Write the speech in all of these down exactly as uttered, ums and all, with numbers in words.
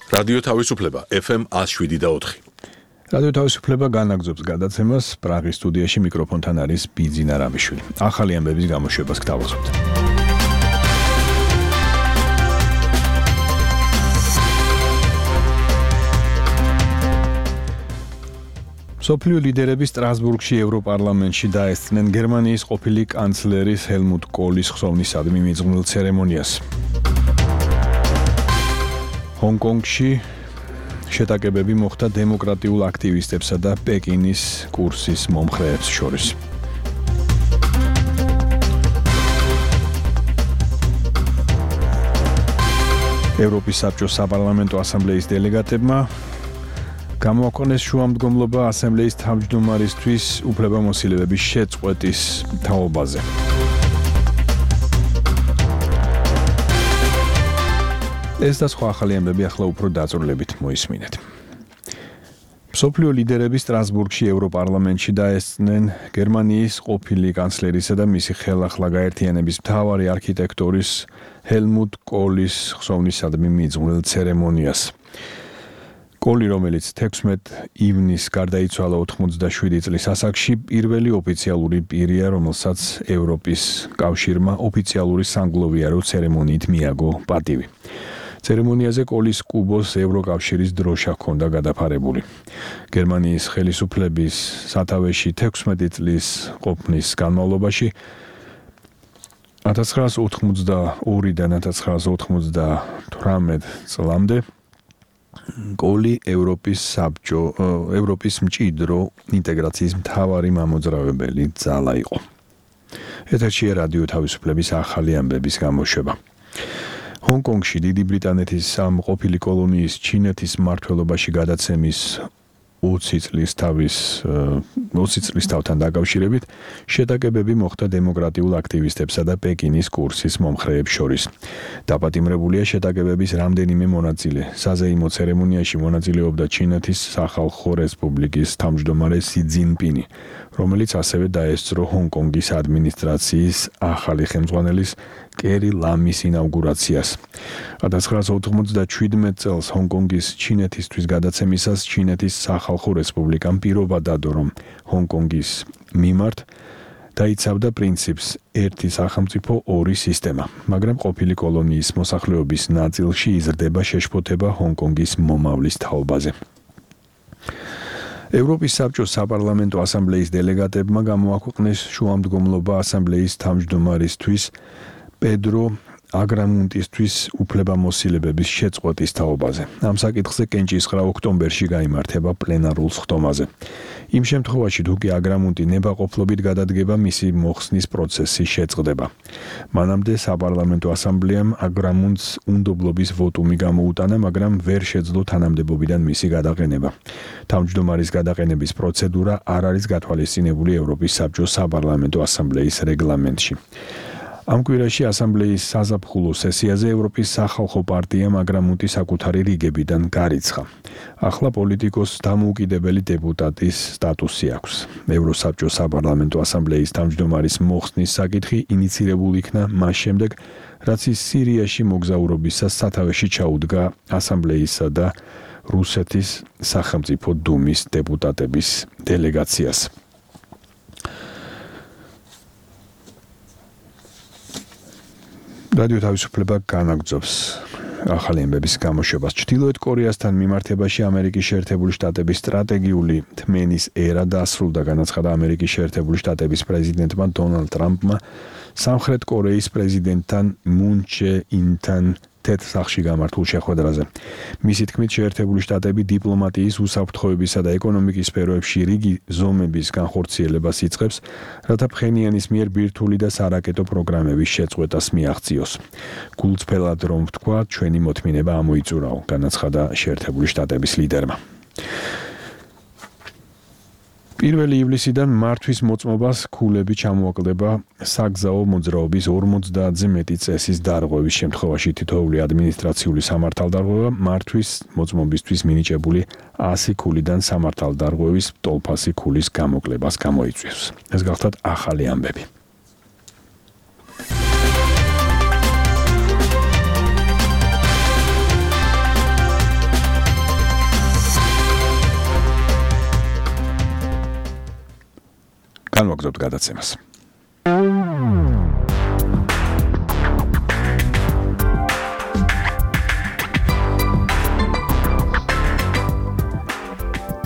რადიო თავისუფლება ეფ ემ one oh seven და four. რადიო თავისუფლება განაგრძობს გადაცემას. პრაღის სტუდიაში მიკროფონთან არის ბიძინა რამიშვილი. ახალი ამბების გამოშვებას გთავაზობთ. სოფლიო ლიდერები სტრასბურგში ევროპარლამენტში დაესწრნენ გერმანიის ყოფილი კანცლერის ჰელმუტ კოლის ხსოვნისადმი მიძღვნილ ცერემონიას. ჰონგ-კონგში შეტაკებები მოხდა დემოკრატიულ აქტივისტებსა და პეკინის კურსის მომხრეებს შორის. ევროპის საბჭოს საპარლამენტო ასამბლეის დელეგატებმა გამოაქვეყნეს შუამდგომლობა ასამბლეის თავმჯდომარისთვის უფლებამოსილების შეწყვეტის თაობაზე. ეს და სხვა ახალი ამბები ახლა უფრო დაწვრილებით მოისმინეთ. სოფლიო ლიდერები სტრასბურგში ევროპარლამენტში დაესწრნენ გერმანიის ყოფილი კანცლერისა და მისი ხელახლა გაერთიანების მთავარი არქიტექტორის ჰელმუტ კოლის ხსოვნისადმი მიძღვნილ ცერემონიას. კოლი, რომელიც თექვსმეტ ივნისს გარდაიცვალა ოცდაშვიდი წლის ასაკში, პირველი ოფიციალური პირია, რომელსაც ევროპის კავშირმა ოფიციალური სანგლოვიარო ცერემონიით მიაგო პატივი. ცერემონიაზე კოლის კუბოს ევროკავშირის დროშა ჰქონდა გადაფარებული. გერმანიის ხელისუფლების სათავეში თექვსმეტი წლის ყოფნის განმავლობაში one thousand nine hundred eighty-two-დან one thousand nine hundred eighty-eight წლამდე კოლი ევროპის საბჭო ევროპის მჭიდრო ინტეგრაციის მთავარი მამოძრავებელი ძალა იყო. ეთერშია რადიო თავისუფლების ახალი ამბების გამოშვება. ჰონგ-კონგში დიდი ბრიტანეთის ამ ყოფილი კოლონიის ჩინეთის მმართველობაში გადაცემის ოცი წლის თავის ოცი წლის თავთან დაკავშირებით შეტაკებები მოხდა დემოკრატიულ აქტივისტებსა და პეკინის კურსის მომხრეებს შორის. დაპატიმრებულია შეტაკებების რამდენიმე მონაწილე. საზეიმო ცერემონიაში მონაწილეობდა ჩინეთის სახალხო რესპუბლიკის თავმჯდომარე სი ძინპინი, რომელიც ასევე დაესწრო ჰონგ-კონგის ადმინისტრაციის ახალი ხელმძღვანელის კერი ლამის ინაუგურაციას. one thousand nine hundred ninety-seven წელს ჰონგ-კონგის ჩინეთისთვის გადაცემისას ჩინეთის სახალხო რესპუბლიკამ პირობა დადო, რომ ჰონგ-კონგის მიმართ დაიცავდა პრინციპს ერთი სახელმწიფო ორი სისტემა, მაგრამ ყოფილი კოლონიის მოსახლეობის ნაწილში იზრდება შეშფოთება ჰონგ-კონგის მომავლის თაობაზე. ევროპის საბჭოს საპარლამენტო ასამბლეის დელეგატებმა გამოაქვეყნეს შუამდგომლობა ასამბლეის თავმჯდომარისთვის პედრო აგრამუნტისთვის უფლებამოსილებების შეწყვეტის თაობაზე. ამ საკითხზე კენჭისყრა ოქტომბერში გაიმართება პლენარულ სხდომაზე. იმ შემთხვევაში, თუ კი აგრამუნტი ნებაყოფლობით გადადგება, მისი მოხსნის პროცესი შეწყდება. მანამდე საპარლამენტო ასამბლეამ აგრამუნტს უნდობლობის ვოტუმი გამოუტანა, მაგრამ ვერ შეძლო თანამდებობიდან მისი გადაყენება. თავმჯდომარის გადაყენების პროცედურა არ არის გათვალისწინებული ევროპის საბჭოს საპარლამენტო ასამბლეის რეგლამენტში. ამ კვირაში ასამბლეის საზაფხულო სესიაზე ევროპის სახალხო პარტიამ აგრამუნტის საკუთარი რიგებიდან გარიცხა. ახლა პოლიტიკოს დამოუკიდებელი დეპუტატის სტატუსი აქვს. ევროსაბჭოს საპარლამენტო ასამბლეის თავმჯდომარის მოხსნის საკითხი ინიცირებული იქნა მას შემდეგ, რაც ის სირიაში მოგზაურობისას სათავეში ჩაუდგა ასამბლეისა და რუსეთის სახელმწიფო დუმის დეპუტატების დელეგაციას. რადიო თავისუფლება განაგრძობს ახალი ამბების გამოშვებას. ჩრდილოეთ კორეასთან მიმართებაში ამერიკის შეერთებული შტატების სტრატეგიული თმენის ერა დასრულდა, განაცხადა ამერიკის შეერთებული შტატების პრეზიდენტმა დონალდ ტრამპმა სამხრეთ კორეის პრეზიდენტთან მუნ ჩე ინთან თეთრ სახლში გამართულ შეხვედრაზე. მისი თქმით, შეერთებული შტატები დიპლომატიის, უსაფრთხოებისა და ეკონომიკის სფეროებში რიგი ზომების განხორციელებას იწყებს, რათა ფხენიანის მიერ ბირთვული და სარაკეტო პროგრამების შეწყვეტას მიაღწიოს. გულწრფელად რომ ვთქვა, ჩვენი მოთმინება ამოიწურაო, განაცხადა შეერთებული შტატების ლიდერმა. პირველი ივლისიდან მართვის მოწმობას ქულები ჩამოაკლდება საგზაო მოძრაობის ორმოცდაათზე მეტი წესის დარღვევის შემთხვევაში. თითოეული ადმინისტრაციული სამართალდარღვევა მართვის მოწმობისთვის მინიჭებული ასი ქულიდან სამართალდარღვევის ტოლფასი ქულის გამოკლებას გამოიწვევს. ეს გახლავთ ახალი ამბები. გავაგზავნოთ გადაცემას.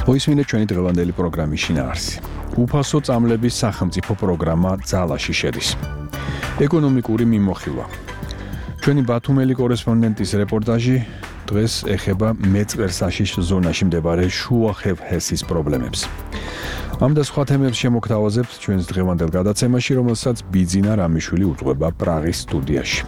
მოისმინეთ ჩვენი დღევანდელი პროგრამის შინაარსი. უფასო წამლების სახელმწიფო პროგრამა ძალაში შედის. ეკონომიკური მიმოხილვა. ჩვენი ბათუმელი კორესპონდენტის რეპორტაჟი დღეს ეხება მეწყერსაშიშ ზონაში მდებარე შუა ხევჰესის პრობლემებს. ამ და სხვა თემებს შემოგთავაზებთ ჩვენს დღევანდელ გადაცემაში, რომელსაც ბიძინა რამიშვილი უძღვება პრაღის სტუდიაში.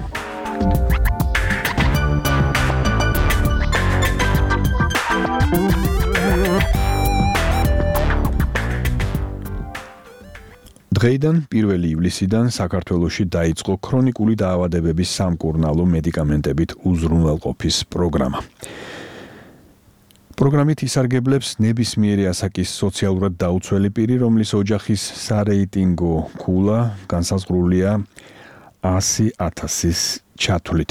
დღეიდან პირველი ივლისიდან საქართველოში დაიწყო ქრონიკული დაავადებების სამკურნალო მედიკამენტებით უზრუნველყოფის პროგრამა. პროგრამით ისარგებლებს ნებისმიერი ასაკის სოციალურად დაუცველი პირი, რომლის ოჯახის სარეიტინგო ქულა განსაზღვრულია ასი ათასის ჩათვლით.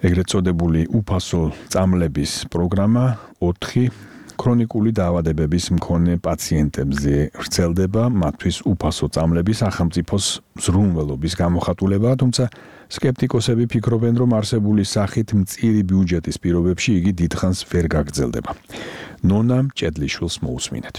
ეგრეთ წოდებული უფასო წამლების პროგრამა ოთხი ქრონიკული დაავადებების მქონე პაციენტებზე ვრცელდება, მათთვის უფასო წამლების სახელმწიფოს ზრუნველობის გამოხატულებაა, თუმცა სკეპტიკოსები ფიქრობენ, რომ არსებული სახით მწირი ბიუჯეტის პირობებში იგი დიდხანს ვერ გაგრძელდება. ნონა მჭედლიშვილს მოусმინეთ.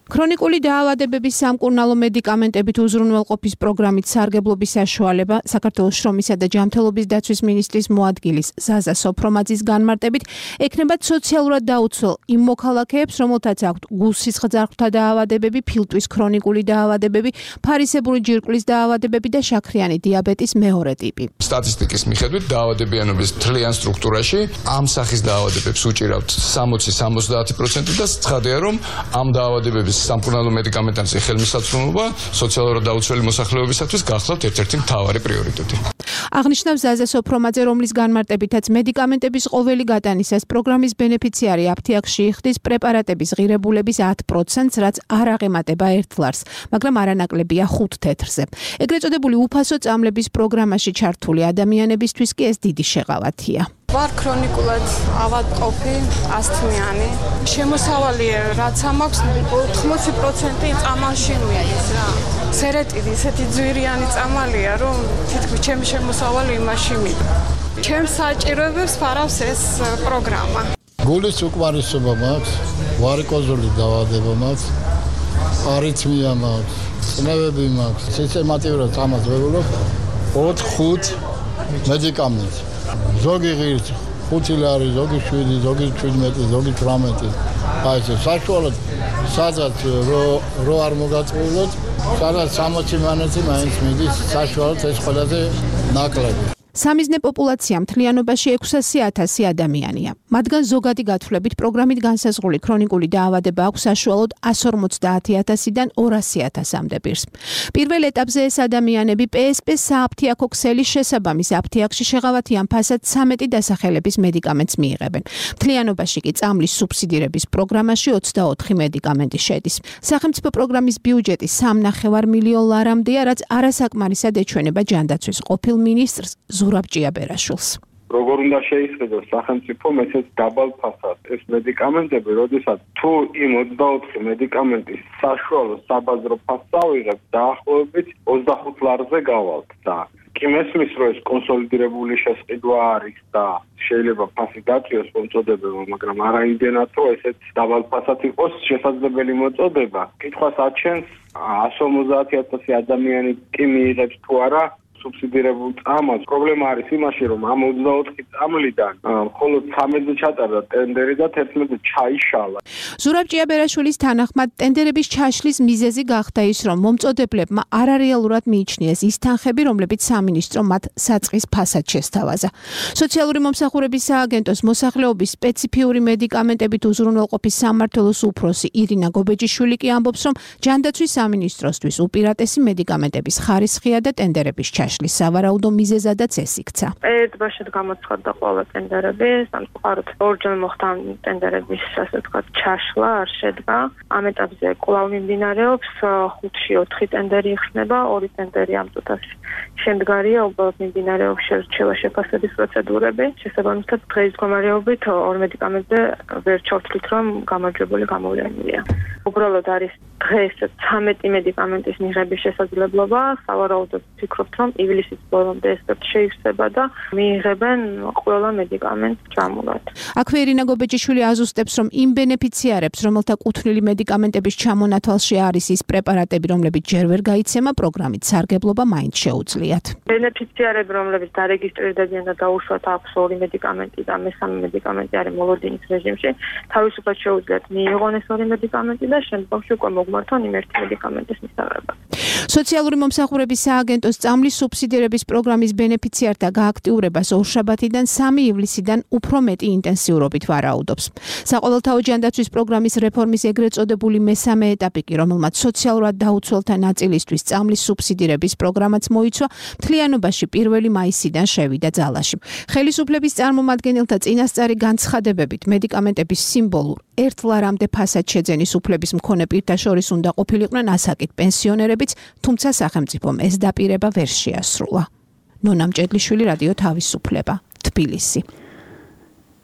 ქრონიკული დაავადებების სამკურნალო მედიკამენტებით უზრუნველყოფის პროგრამით სარგებლობის საშუალება საქართველოს შრომისა და ჯანმრთელობის დაცვის მინისტრის მოადგილის ზაზა სოფრომაძის განმარტებით ექნებათ სოციალურად დაუცველ იმ მოქალაქეებს, რომელთაც აქვთ გულსისხლძარღვთა დაავადებები, ფილტვის ქრონიკული დაავადებები, ფარისებური ჯირკვლის დაავადებები და შაქრიანი დიაბეტის მეორე ტიპი. სტატისტიკის მიხედვით დაავადებიანობის მთლიან სტრუქტურაში ამ სახის დაავადებებს უჭირავთ სამოცი სამოცდაათი პროცენტი და ცხადია, რომ ამ დაავადებების სამკურნალო მედიკამენტებზე ხელმისაწვდომობა სოციალურად დაუცველი მოსახლეობისათვის გახლავთ ერთ-ერთი მთავარი პრიორიტეტი. აღნიშნავს ზაზა სოფრომაძე, რომლის განმარტებითაც მედიკამენტების ყოველი გატანისას პროგრამის ბენეფიციარი აფთიაქში იხდის პრეპარატების ღირებულების ათ პროცენტს, რაც არ აღემატება ერთ ლარს, მაგრამ არანაკლებია ხუთ თეთრზე. ეგრეთ წოდებული უფასო წამლების პროგრამაში ჩართული ადამიანებისთვის კი ეს დიდი შეღავათია. ვარ ქრონიკულად ავადმყოფი, ასთმიანი. შემოსავალი რაც ამაქვს ოთხმოცი პროცენტი წამალში მიდის რა. სერეტიდი ისეთი ძვირიანი წამალია, რომ თითქმის ჩემი შემოსავალი იმაში მიდის. ჩემს საჭიროებებს ფარავს ეს პროგრამა. გულის უკმარისობა მაქვს, ვარიკოზული დაავადება მაქვს, არითმია მაქვს, წნევები მაქვს. სისტემატიურად წამალს ვეულობ ოთხ ხუთ მედიკამენტს. ზოგი ღირს ხუთი ლარი, ზოგი შვიდი, ზოგი შვიდმეტი, ზოგი თვრამეტი. აი ეს საშუალოდ სადაც რო არ მოგაწყვეტოთ, სადაც სამოცი მანეთი მაინც მიდის, საშუალოდ ეს ყველაზე ნაკლები. სამიზნე პოპულაცია მთლიანობაში ექვსასი ათასი ადამიანია. მათგან ზოგადი გათვლებით პროგრამით განსაზღვრული ქრონიკული დაავადება აქვს საშუალოდ εκατს ორმოცდაათი ათასიდან ორასი ათასამდე პირს. პირველ ეტაპზე ეს ადამიანები პე ეს პე სააფთიაქო ქსელის შესაბამის აფთიაქში შეღავათიან ფასად სამეტი დასახელების მედიკამენტს მიიღებენ. მთლიანობაში კი წამლის სუბსიდირების პროგრამაში ოცდაოთხი მედიკამენტი შედის. სახელმწიფო პროგრამის ბიუჯეტი სამნახევარ მილიონ ლარამდეა, რაც არასაკმარისად ეჩვენება ჯანდაცვის ყოფილ მინისტრს ზურაბ ჭიაბერაშვილს. როგორ უნდა შეისყიდოს სახელმწიფო მესეც დაბალ ფასად ეს მედიკამენტები, როდესაც თუ იმ ოცდაოთხი მედიკამენტის საშუალო საბაზრო ფასს ავიღებ, დაახლოებით ოცდახუთ ლარზე გავალთ და კი მესმის, რომ ეს კონსოლიდირებული შესყიდვა არის და შეიძლება ფასი დაწიოს მოწოდებება, მაგრამ არა იმდენად, რომ ესეც დაბალ ფასად იყოს შესაძლებელი მოწოდება. კითხვას აჩენს εκατს ორმოცდაათი ათასი ადამიანი კი მიიღებს თუ არა სუბსიდირებულ წამალს. პრობლემა არის იმაში, რომ ამ ოცდაოთხი წამლიდან მხოლოდ სამედზე ჩატარდა ტენდერი და თერთმეტზე ჩაიშალა. ზურაბ ჭიაბერაშვილის თანახმად ტენდერების ჩაშლის მიზეზი გახდა ის, რომ მომწოდებლებმა არარეალურად მიიჩნიეს ის თანხები, რომლებიც სამინისტრო მათ საწყის ფასად შესთავაზა. სოციალური მომსახურების სააგენტოს მოსახლეობის სპეციფიური მედიკამენტებით უზრუნველყოფის სამმართველოს უფროსი ირინა გობეჯიშვილი კი ამბობს, რომ ჯანდაცვის სამინისტროსთვის უპირატესი მედიკამენტების ხარისხია და ტენდერების ჩაშლა. დაშლის სავარაუდო მიზეზადაც ეს იქცა. ერთბაშად გამოცხადდა ყველა ტენდერები, სამწუხაროდ ორჯერ მოხდა ტენდერების ასე ვთქვათ ჩაშლა, არ შედგა. ამ ეტაპზე კვლავ მიმდინარეობს ხუთში ოთხი ტენდერი იხსნება, ორი ტენდერი ამ წუთას შემდგარია, უბრალოდ მიმდინარეობს შერჩევა შეფასების პროცედურები. შესაბამისად დღეის მდგომარეობით ორ მედიკამენტზე ვერ ჩავთვლით, რომ გამარჯვებული გამოვლენილია. უბრალოდ არის დღეს ცამეტი მედიკამენტის მიღების შესაძლებლობა, სავარაუდოდ ვფიქრობთ, რომ ივლისის ბოლომდე ეს შეივსება და მიიღებენ ყველა მედიკამენტს ჯამურად. აქვე ირინა გობეჭიშვილი აზუსტებს, რომ იმ ბენეფიციარებს, რომელთა კუთვნილი მედიკამენტების ჩამონათვალში არის ის პრეპარატები, რომლებიც ჯერ ვერ გაიცემა, პროგრამით სარგებლობა მაინც შეუძლიათ. ბენეფიციარები, რომლებიც დარეგისტრირდებიან და დაუშვათ აქვს ორი მედიკამენტი და მესამე მედიკამენტი არის მოლოდინის რეჟიმში, თავისუფლად შეუძლიათ მიიღონ ეს ორი მედიკამენტი და შემდგომში უკვე მოგმართონ იმ ერთი მედიკამენტის მისაღებად. სოციალური მომსახურების სააგენტოს წამლის სუბსიდირების პროგრამის ბენეფიციართა გააქტიურებას ორშაბათიდან სამი ივლისიდან უფრო მეტი ინტენსიურობით ვარაუდობს. საყოველთაო ჯანდაცვის პროგრამის რეფორმის ეგრეთ წოდებული მესამე ეტაპი კი, რომელმაც სოციალურად დაუცველთა ნაწილისთვის წამლის სუბსიდირების პროგრამაც მოიცვა, მთლიანობაში პირველი მაისიდან შევიდა ძალაში. ხელისუფლების წარმომადგენელთა წინასწარი განცხადებებით მედიკამენტების სიმბოლურ ერთ ლარამდე ფასად შეძენის უფლების მქონე პირთა შორის უნდა ყოფილიყვნენ ასაკით პენსიონერებიც, თუმცა სახელმწიფომ ეს დაპირება ვერ შეასრულა. ნონა მჭედლიშვილი, რადიო თავისუფლება, თბილისი.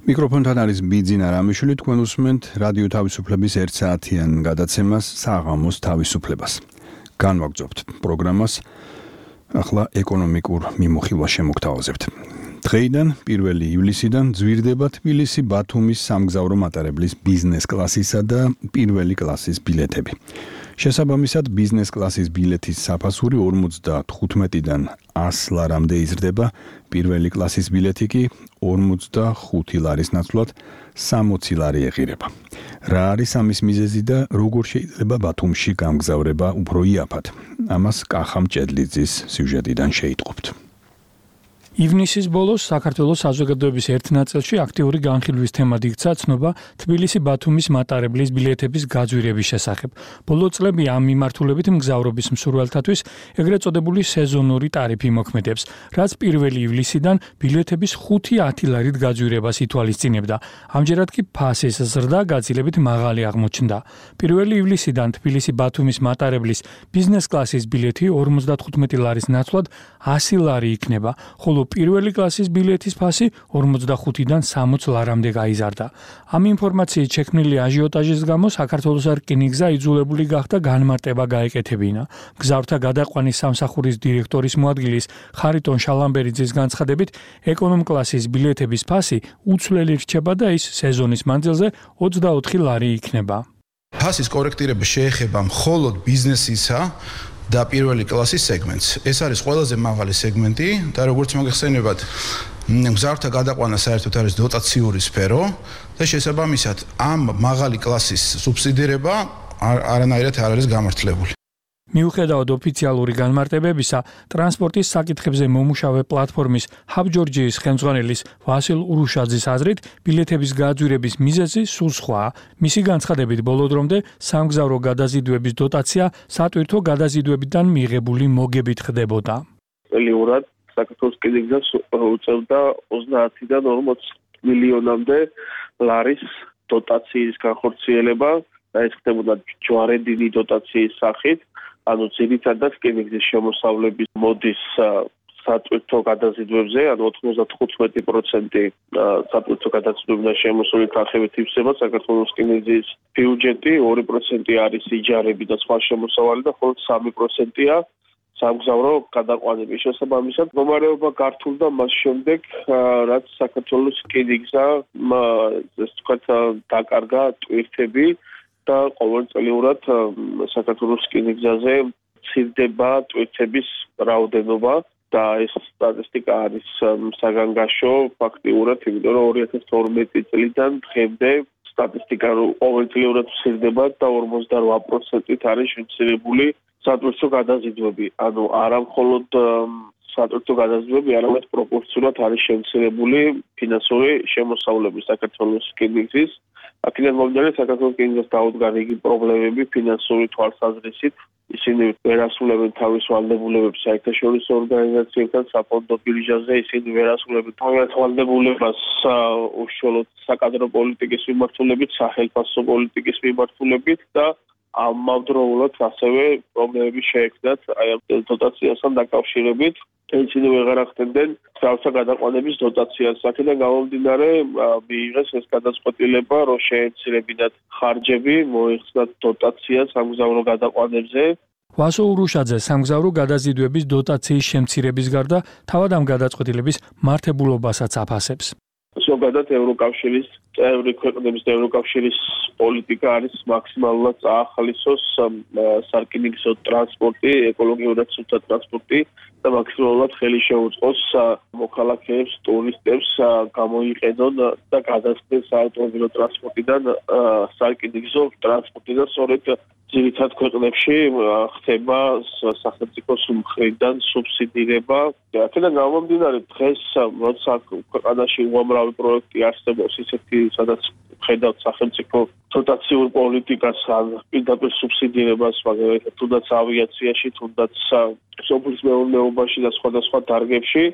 მიკროფონთან არის ბიძინა რამიშვილი, თქვენ უსმენთ რადიო თავისუფლების ერთ საათიან გადაცემას საღამოს თავისუფლებას. განვაგრძობთ პროგრამას, ახლა ეკონომიკურ მიმოხილვას შემოგთავაზებთ. დღეიდან პირველი ივლისიდან ძვირდება თბილისი ბათუმის სამგზავრო მატარებლის ბიზნეს კლასისა და პირველი კლასის ბილეთები. შესაბამისად, ბიზნეს კლასის ბილეთის საფასური ორმოცდათხუთმეტიდან ას ლარამდე იზრდება, პირველი კლასის ბილეთი კი ორმოცდახუთი ლარის ნაცვლად სამოცი ლარი ეღირება. რა არის ამის მიზეზი და როგორ შეიძლება ბათუმში გამგზავრება უფრო იაფად? ამას კახა მჭედლიძის სიუჟეტიდან შეიტყობთ. ივნისის ბოლოს საქართველოს საზოგადოების ერთ ნაწილში აქტიური განხილვის თემად იქცა ცნობა თბილისი-ბათუმის მატარებლის ბილეთების გაძვირების შესახებ. ბოლო წლები ამ მიმართულებით მგზავრობის მსურველთათვის ეგრეთ წოდებული სეზონური ტარიფი მოქმედებს, რაც პირველი ივლისიდან ბილეთების ხუთი-ათი ლარით გაძვირებას ითვალისწინებდა. ამჯერად კი ფასის ზრდა გაცილებით მაღალი აღმოჩნდა. პირველი ივლისიდან თბილისი-ბათუმის მატარებლის ბიზნეს კლასის ბილეთი ორმოცდათხუთმეტი ლარის ნაცვლად ასი ლარი იქნება, ხოლო პირველი კლასის ბილეთის ფასი ორმოცდახუთიდან სამოცი ლარამდე გაიზარდა. ამ ინფორმაციით შექმნილი აჟიოტაჟის გამო საქართველოს რკინიგზა იძულებული გახდა განმარტება გაეკეთებინა. მგზავრთა გადაყვანის სამსახურის დირექტორის მოადგილის ხარიტონ შალამბერიძის განცხადებით, ეკონომ კლასის ბილეთების ფასი უცვლელი რჩება და ის სეზონის მანძილზე ოცდაოთხი ლარი იქნება. ფასის კორექტირება შეეხება მხოლოდ ბიზნესისა და პირველი კლასის სეგმენტს. ეს არის ყველაზე მაღალი სეგმენტი და როგორც მოგეხსენებათ, მგზავრთა გადაყვანა საერთოდ არის დოტაციური სფერო და შესაბამისად ამ მაღალი კლასის სუბსიდირება არანაირად არ არის გამართლებული. მიუხედავად ოფიციალური განმარტებებისა, ტრანსპორტის საკითხებზე მომუშავე პლატფორმის ჰაბ ჯორჯიის ხელმძღვანელის ვასილ ურუშაძის აზრით, ბილეთების გაძვირების მიზეზი სულ სხვაა. მისი განცხადებით, ბოლო დრომდე სამგზავრო გადაზიდვების დოტაცია სატვირთო გადაზიდვებიდან მიღებული მოგებით ხდებოდა. წლიურად საქართველოს რკინიგზა უწევდა ოცდაათიდან ორმოც მილიონამდე ლარის დოტაციის განხორციელება და ეს ხდებოდა ჯვარედინი დოტაციის სახით. ანუ ძირითადად რკინიგზის შემოსავლების მოდის სატვირთო გადაზიდვებზე, ანუ ოთხმოცდათხუთმეტი პროცენტი სატვირთო გადაზიდვებიდან შემოსული თანხებით ივსება საქართველოს რკინიგზის ბიუჯეტი, ორი პროცენტი არის იჯარები და სხვა შემოსავალი და მხოლოდ სამი პროცენტია სამგზავრო გადაყვანები. შესაბამისად, მდგომარეობა გართულდა მას შემდეგ, რაც საქართველოს რკინიგზა ეს თქვათ დაკარგა ტვირთები და ყოველწლიურად საქართველოს რკინიგზაზე მცირდება ტვირთების რაოდენობა და ეს სტატისტიკა არის საგანგაშო ფაქტიურად, იმიტომ რომ ორი ათას თორმეტი წლიდან დღემდე სტატისტიკა ყოველწლიურად მცირდება და ორმოცდარვა პროცენტით არის შემცირებული სატვირთო გადაზიდვები. ანუ არა მხოლოდ სატვირთო გადაზიდვები, არამედ პროპორციულად არის შემცირებული ფინანსური შემოსავლები საქართველოს რკინიგზის. აქედან მომდინარე საქართველოს რკინიგზას დაუდგა რიგი პრობლემები ფინანსური თვალსაზრისით ისინი ვერ ასრულებენ თავის ვალდებულებებს საერთაშორისო ორგანიზაციებთან საფონდო ბირჟაზე, ისინი ვერ ასრულებენ თავის ვალდებულებას უშუალოდ საკადრო პოლიტიკის მიმართულებით, სახელმწიფო პოლიტიკის მიმართულებით და ამავდროულად ასევე პრობლემები შეექმნათ აი ამ დოტაციასთან დაკავშირებით. ისინი ვეღარ ახდენდნენ თავსა გადაყვანების დოტაციას. აქედან გამომდინარე მიიღეს ეს გადაწყვეტილება, რომ შეეცირებინათ ხარჯები, მოიხსნათ დოტაცია სამგზავრო გადაყვანებზე. ვასო ურუშაძე სამგზავრო გადაზიდვების დოტაციის შემცირების გარდა თავად ამ გადაწყვეტილების მართებულობასაც აფასებს. ზოგადად ევროკავშირის წევრი ქვეყნების და ევროკავშირის პოლიტიკა არის მაქსიმალურად წაახალისოს სარკინიგზო ტრანსპორტი, ეკოლოგიურად სუფთა ტრანსპორტი და მაქსიმალურად ხელი შეუწყოს მოქალაქეებს, ტურისტებს გამოიყენონ და გადასცენ საავტომობილო ტრანსპორტიდან სარკინიგზო ტრანსპორტი და სწორედ ძირითად ქვეყნებში ხდება სახელმწიფოს მხრიდან სუბსიდირება. აქედან გამომდინარე დღეს როცა ქვეყანაში უამრავი პროექტი არსებობს ისეთი სადაც ხედავთ სახელმწიფო დოტაციურ პოლიტიკას ან პირდაპირ სუბსიდირებას, მაგალითად თუნდაც ავიაციაში, თუნდაც სოფლის მეურნეობაში და სხვადასხვა დარგებში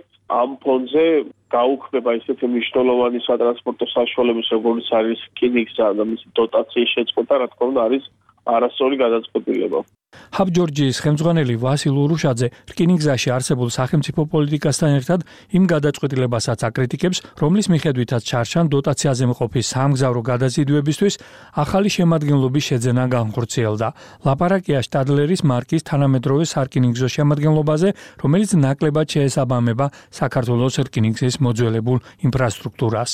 ამ ფონზე გაუქმება ისეთი მნიშვნელოვანი სატრანსპორტო საშუალებების როგორც არის რკინიგზა და მისი დოტაციის შეწყვეტა, რა თქმა უნდა არის არასწორი გადაწყვეტილება. ჰაბ ჯორჯიის ხელმძღვანელი ვასილ ურუშაძე რკინიგზაში არსებულ სახელმწიფო პოლიტიკასთან ერთად იმ გადაწყვეტილებასაც აკრიტიკებს, რომლის მიხედვითაც ჩარჩან დოტაციაზე მყოფი სამგზავრო გადაზიდვებისთვის ახალი შემადგენლობის შეძენა განხორციელდა. ლაპარაკია შტადლერის მარკის თანამედროვე სარკინიგზო შემადგენლობაზე, რომელიც ნაკლებად შეესაბამება საქართველოს რკინიგზის მოძველებულ ინფრასტრუქტურას.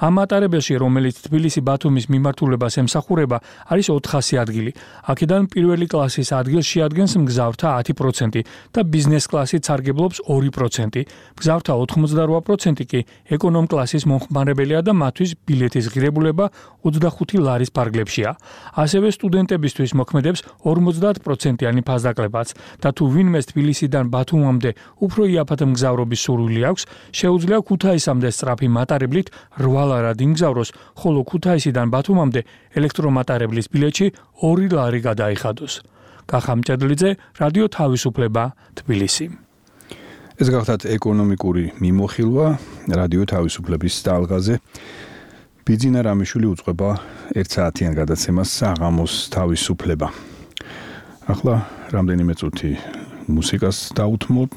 ამ მატარებელში, რომელიც თბილისი-ბათუმის მიმართულებას ემსახურება, არის ოთხასი ადგილი. აქედან პირველი კლასის ადგილს შეადგენს მგზავრთა ათი პროცენტი და ბიზნეს კლასით სარგებლობს ორი პროცენტი. მგზავრთა ოთხმოცდარვა პროცენტი კი ეკონომ კლასის მომხმარებელია და მათთვის ბილეთის ღირებულება ოცდახუთი ლარის ფარგლებშია. ასევე სტუდენტებისთვის მოქმედებს ორმოცდაათ პროცენტიანი ფასდაკლებაც და თუ ვინმეს თბილისიდან ბათუმამდე უფრო იაფად მგზავრობის სურვილი აქვს, შეუძლია ქუთაისამდე სწრაფი მატარებლით რვა ლარად იმგზავროს, ხოლო ქუთაისიდან ბათუმამდე ელექტრომატარებლის ბილეთში ორი ლარი გადაიხადოს. კახა მჭედლიძე, რადიო თავისუფლება, თბილისი. ეს გახდათ ეკონომიკური მიმოხილვა რადიო თავისუფლების ტალღაზე. ბიძინა რამიშვილი უწყება ერთ საათიან გადაცემას საღამოს თავისუფლება. ახლა რამდენიმე წუთი მუსიკას დაუთმობ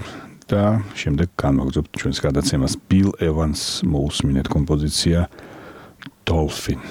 და შემდეგ განვაგრძობთ ჩვენს გადაცემას. Bill Evans მოусმინეთ კომპოზიცია Dolphin.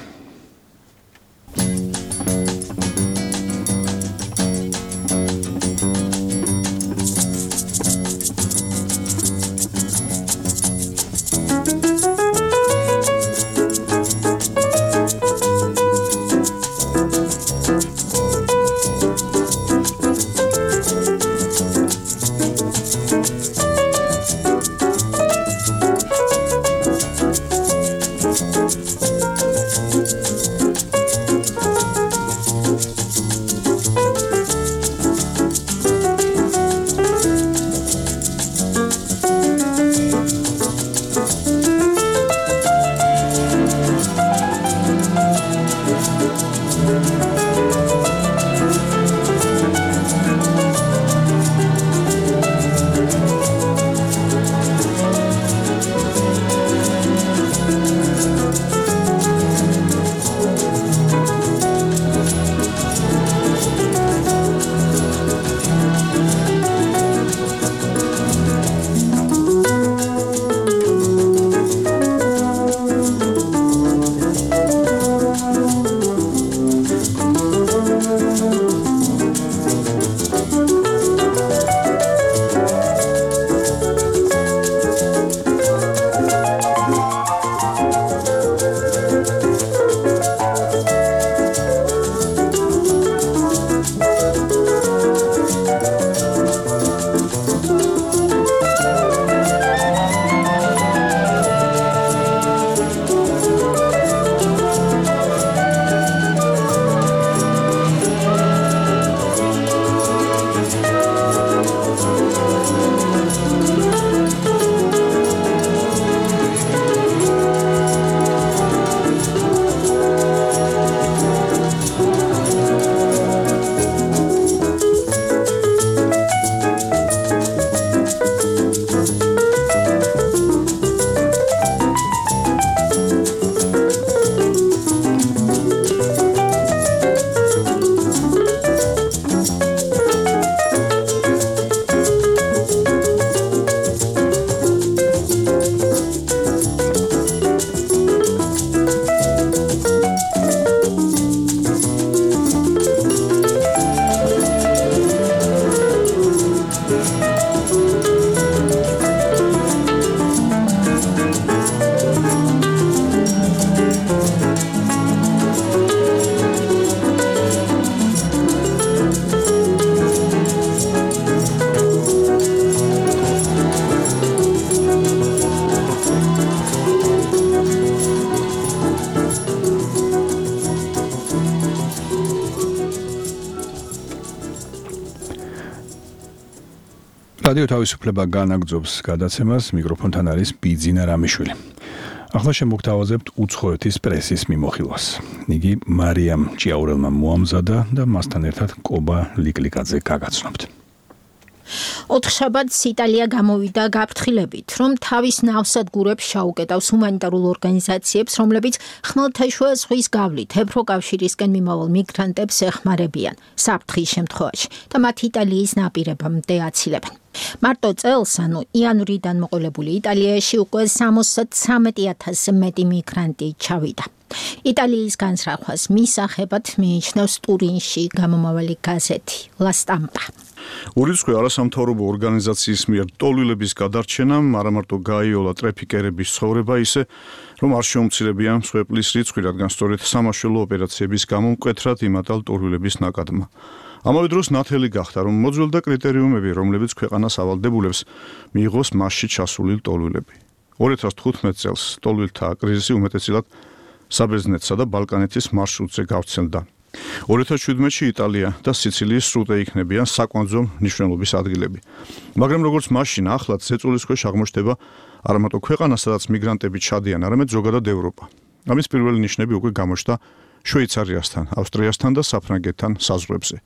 რადიო თავისუფლება განაგრძობს გადაცემას, მიკროფონთან არის ბიძინა რამიშვილი. ახლა შემოგთავაზებთ უცხოეთის პრესის მიმოხილვას. იგი მარიამ ჭიაურელმა მოამზადა და მასთან ერთად კობა ლიკლიკაძე გაგაცნობთ. ოთხშაბათს იტალია გამოვიდა გაფრთხილებით, რომ თავის ნავსადგურებს შაუკეტავს ჰუმანიტარულ ორგანიზაციებს, რომლებიც ხმელთაშუა ზღვის გავლით ევროკავშირისკენ მიმავალ მიგრანტებს ეხმარებიან საფრთხის შემთხვევაში და მათ იტალიის ნაპირებამდე აცილებენ. მარტო წელს, ანუ იანვრიდან მოყოლებული იტალიაში უკვე სამოცდათრამეტი ათასზე მეტი მიგრანტი ჩავიდა. იტალიის განსხვავებას მისაღებად მიიჩნევს ტურინში გამომავალი გაზეთი La Stampa. ურიცხვი არასამთავრობო ორგანიზაციის მიერ ტოლვილების გადარჩენამ არა მარტო გაიოლა ტრაფიკერების ცხოვრება ისე, რომ არ შეუმცირებია მსხვერპლის რიცხვი, რადგან სწორედ სამაშველო ოპერაციების გამო მკვეთრად იმატა ტოლვილების ნაკადმა. ამავე დროს ნათელი გახდა, რომ მოძველდა კრიტერიუმები, რომლებიც ქვეყანას ავალდებულებს, მიიღოს მასში ჩასული ტოლვილები. ორი ათას თხუთმეტ წელს ტოლვილთა კრიზისი უმეტესად საბერძნეთსა და ბალკანეთის მარშრუტზე გავრცელდა. ორი ათას შვიდმეტში იტალია და სიცილიის სრუტე იქნებიან საკვანძო მნიშვნელობის ადგილები. მაგრამ როგორც მაშინ ახლაც ზეწოლის ქვეშ აღმოჩნდება არა მარტო ქვეყანა, სადაც მიგრანტები ჩადიან, არამედ ზოგადად ევროპა. ამის პირველი ნიშნები უკვე გამოჩნდა შვეიცარიასთან, ავსტრიასთან და საფრანგეთთან საზღვრებზე.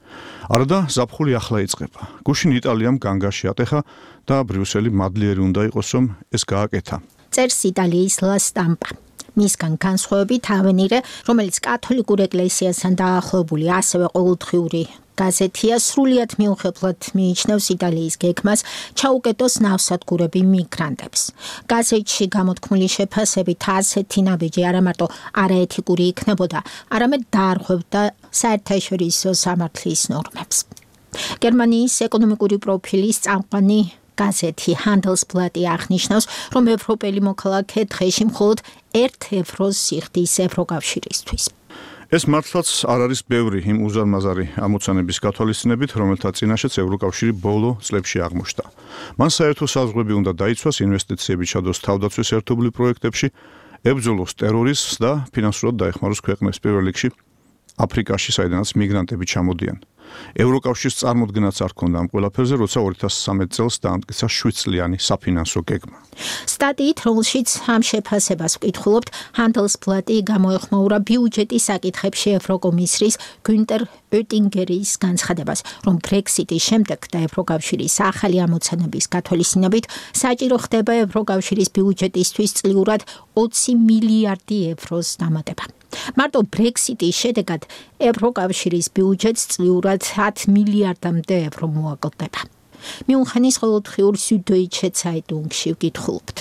არადა ზაფხული ახლა იწყება. გუშინ იტალიამ განგაში ატეხა და ბრიუსელი მადლიერი უნდა იყოს, რომ ეს გააკეთა. წერს იტალიის La Stampa. მისგან განსხვავებით ავენირე, რომელიც კათოლიკურ ეკლესიასთან დაახლოებული ასევე ყოველდღიური გაზეთია, სრულიად მიუხედავად მიიჩნევს იტალიის გეგმას ჩაუკეტოს ნავსადგურები მიგრანტებს. გაზეთში გამოთქმული შეფასებით ასეთი ნაბიჯი არა მარტო არაეთიკური იქნებოდა, არამედ დაარღვევდა საერთაშორისო სამართლის ნორმებს. გერმანიის ეკონომიკური პროფილის წამყვანი გაზეთი Handelsblatt აღნიშნავს, რომ ევროპელი მოქალაქე დღეში მხოლოდ ერთ ევროს სიხდის ევროკავშირისთვის. ეს მართლაც არ არის ბევრი იმ უზარმაზარი ამოცანების გათვალისწინებით, რომელთა წინაშეც ევროკავშირი ბოლო წლებში აღმოჩნდა. მან საერთო საზღვრები უნდა დაიცვას, ინვესტიციები ჩადოს თავდაცვის ერთობლივ პროექტებში, ებრძოლოს ტერორიზმს და ფინანსურად დაეხმაროს ქვეყნებს პირველ რიგში აფრიკაში, საიდანაც მიგრანტები ჩამოდიან. ევროკავშირს წარმოდგენაც არ ჰქონდა ამ ყველაფერზე, როცა ორი ათას სამეტ წელს დაამტკიცა შვიდ წლიანი საფინანსო გეგმა. სტატიით, რომელშიც ამ შეფასებას ვკითხულობთ, Handelsblatt გამოეხმაურა ბიუჯეტის საკითხებში ევროკომისრის გუნტერ ოტინგერის განცხადებას, რომ Brexit-ის შემდეგ და ევროკავშირის ახალი ამოცანების გათვალისწინებით საჭირო ხდება ევროკავშირის ბიუჯეტისთვის წლიურად ოცი მილიარდი ევროს დამატება. მარტო Brexit-ის შედეგად ევროკავშირის ბიუჯეტს წლიურად ათ მილიარდამდე ევრო მოაკლდება. მიუნხენის ყოველდღიურ Süddeutsche Zeitung-ში ვკითხულობთ.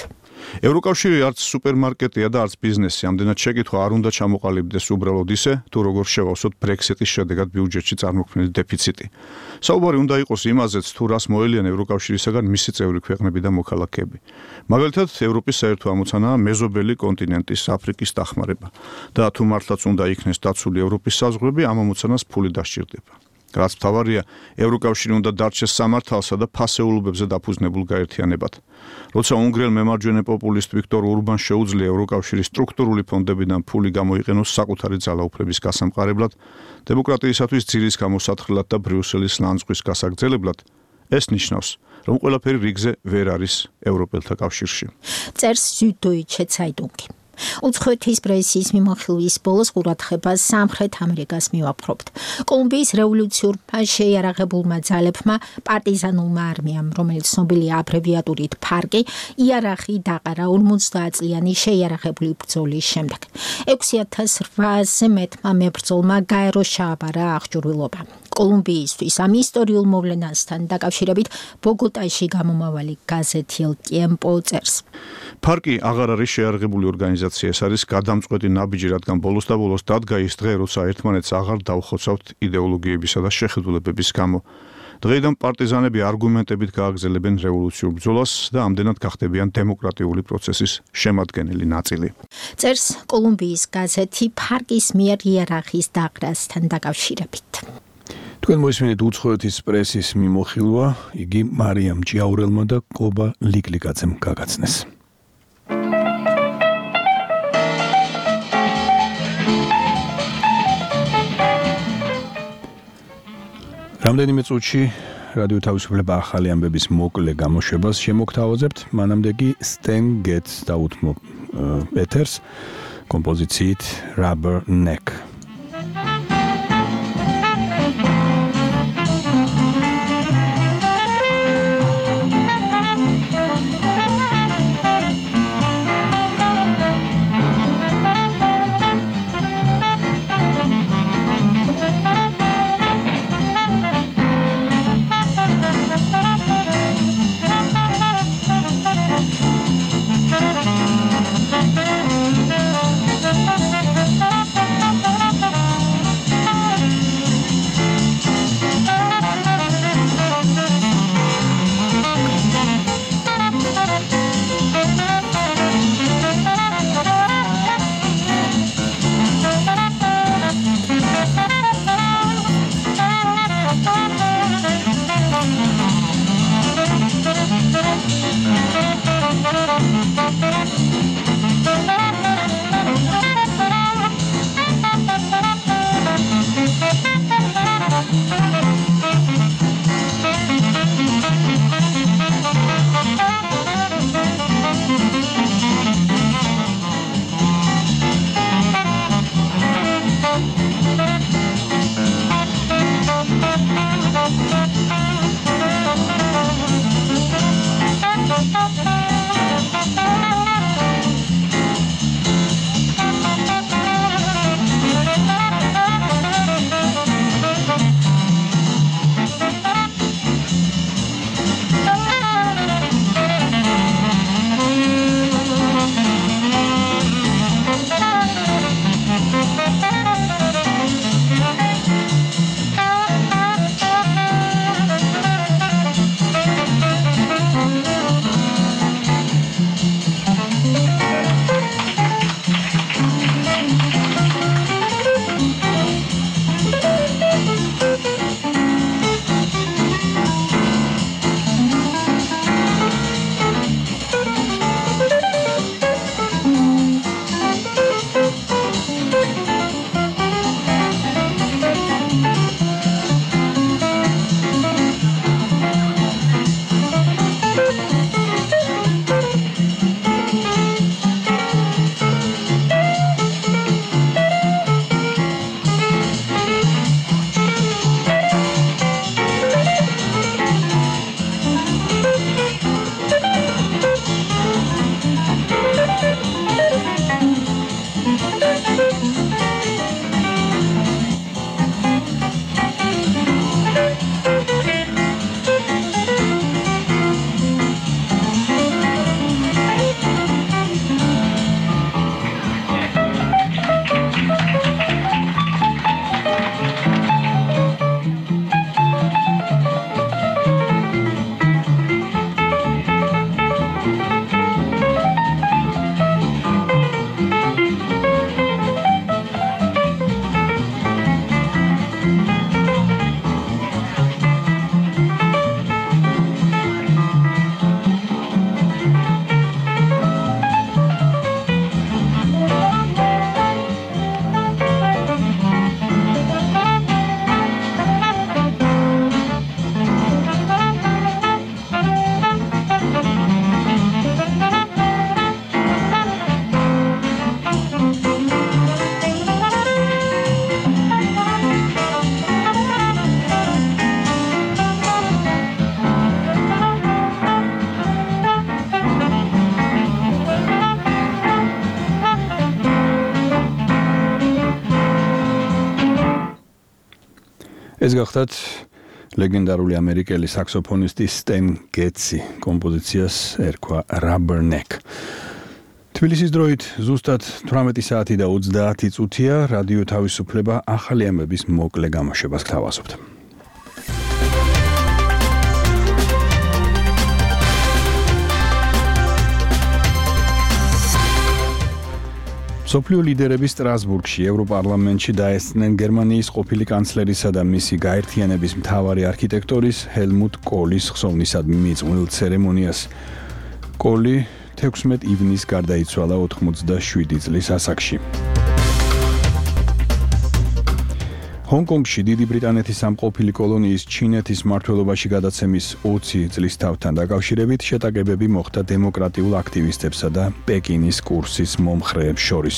ევროკავშირი არც სუპერმარკეტია და არც ბიზნესი, ამდენად შეკითხვა არ უნდა ჩამოყალიბდეს უბრალოდ ისე, თუ როგორ შევავსოთ Brexit-ის შედეგად ბიუჯეტში წარმოქმნილი დეფიციტი. საუბარი უნდა იყოს იმაზეც, თუ რას მოელიან ევროკავშირისაგან მისი წევრი ქვეყნები და მოქალაქეები. მაგალითად, ევროპის საერთო ამოცანაა მეზობელი კონტინენტის აფრიკის დახმარება და თუ მართლაც უნდა იქნეს დაცული ევროპის საზღვრები, ამ ამოცანას ფული დასჭირდება. რაც მთავარია, ევროკავშირი უნდა დარჩეს სამართალსა და ფასეულობებზე დაფუძნებულ გაერთიანებად. როცა უნგრელ მემარჯვენე პოპულისტ ვიქტორ ურბანს შეუძლია ევროკავშირის სტრუქტურული ფონდებიდან ფული გამოიყენოს საკუთარი ძალაუფლების გასამყარებლად, დემოკრატიისათვის ძირის გამოსათხრელად და ბრიუსელის ლანძღვის გასაგრძელებლად, ეს ნიშნავს, რომ ყველაფერი რიგზე ვერ არის ევროპელთა კავშირში. წერს Süddeutsche Zeitung. უცხოეთის პრესის მიმოხილვის ბოლოს ყურადღებას სამხრეთ ამერიკას მივაფრობთ. კოლუმბიის რევოლუციურმა შეიარაღებულმა ძალებმა პარტიზანულმა არმიამ, რომელიც ცნობილია აბრევიატურით ფარკი, იარაღი დაყარა ორმოცდაათ წლიანი შეიარაღებული ბრძოლის შემდეგ. ექვსი ათას რვაასზე მეტმა მებრძოლმა გაერო შეაბარა აღჭურვილობა. კოლუმბიისთვის ამ ისტორიულ მოვლენასთან დაკავშირებით ბოგოტაში გამომავალი გაზეთი El Tiempo წერს. ფარკი აღარ არის შეიარაღებული ორგანიზაცია, ეს არის გადამწყვეტი ნაბიჯი, რადგან ბოლოს და ბოლოს დადგა ის დღე, როცა ერთმანეთს აღარ დავხოცავთ იდეოლოგიებისა და შეხედულებების გამო. დღეიდან პარტიზანები არგუმენტებით გააგრძელებენ რევოლუციურ ბრძოლას და ამდენად გახდებიან დემოკრატიული პროცესის შემადგენელი ნაწილი. წერს კოლუმბიის გაზეთი ფარკის მიერ იარაღის დაყრასთან დაკავშირებით. თქვენ მოისმინეთ უცხოეთის პრესის მიმოხილვა, იგი მარიამ ჭიაურელმა და კობა ლიკლიკაძემ გაგაცნეს. რამდენიმე წუთში რადიო თავისუფლება ახალი ამბების მოკლე გამოშვებას შემოგთავაზებთ. მანამდე კი Stan Getz დაუთმო ეთერს კომპოზიციით Rubber Neck. ეს გახდათ ლეგენდარული ამერიკელი საქსოფონისტი Stan Getz-ი კომპოზიციას ერქვა Rubber Neck. თბილისის დროით ზუსტად თვრამეტი საათი და ოცდაათი წუთია რადიო თავისუფლება ახალი ამბების მოკლე გამოშვებას გთავაზობთ. სოფლიო ლიდერები სტრასბურგში ევროპარლამენტში დაესწნენ გერმანიის ყოფილი კანცლერისა და მისი გაერთიანების მთავარი არქიტექტორის ჰელმუტ კოლის ხსოვნისადმი მიიწვეულ ცერემონიას. კოლი თექვსმეტ ივნისს გარდაიცვალა ოთხმოცდაშვიდი წლის ასაკში. ჰონგ-კონგში დიდი ბრიტანეთის სამყოფილი კოლონიის ჩინეთის მმართველობაში გადაცემის ოცი წლის თავთან დაკავშირებით შეტაკებები მოხდა დემოკრატიულ აქტივისტებსა და პეკინის კურსის მომხრეებს შორის.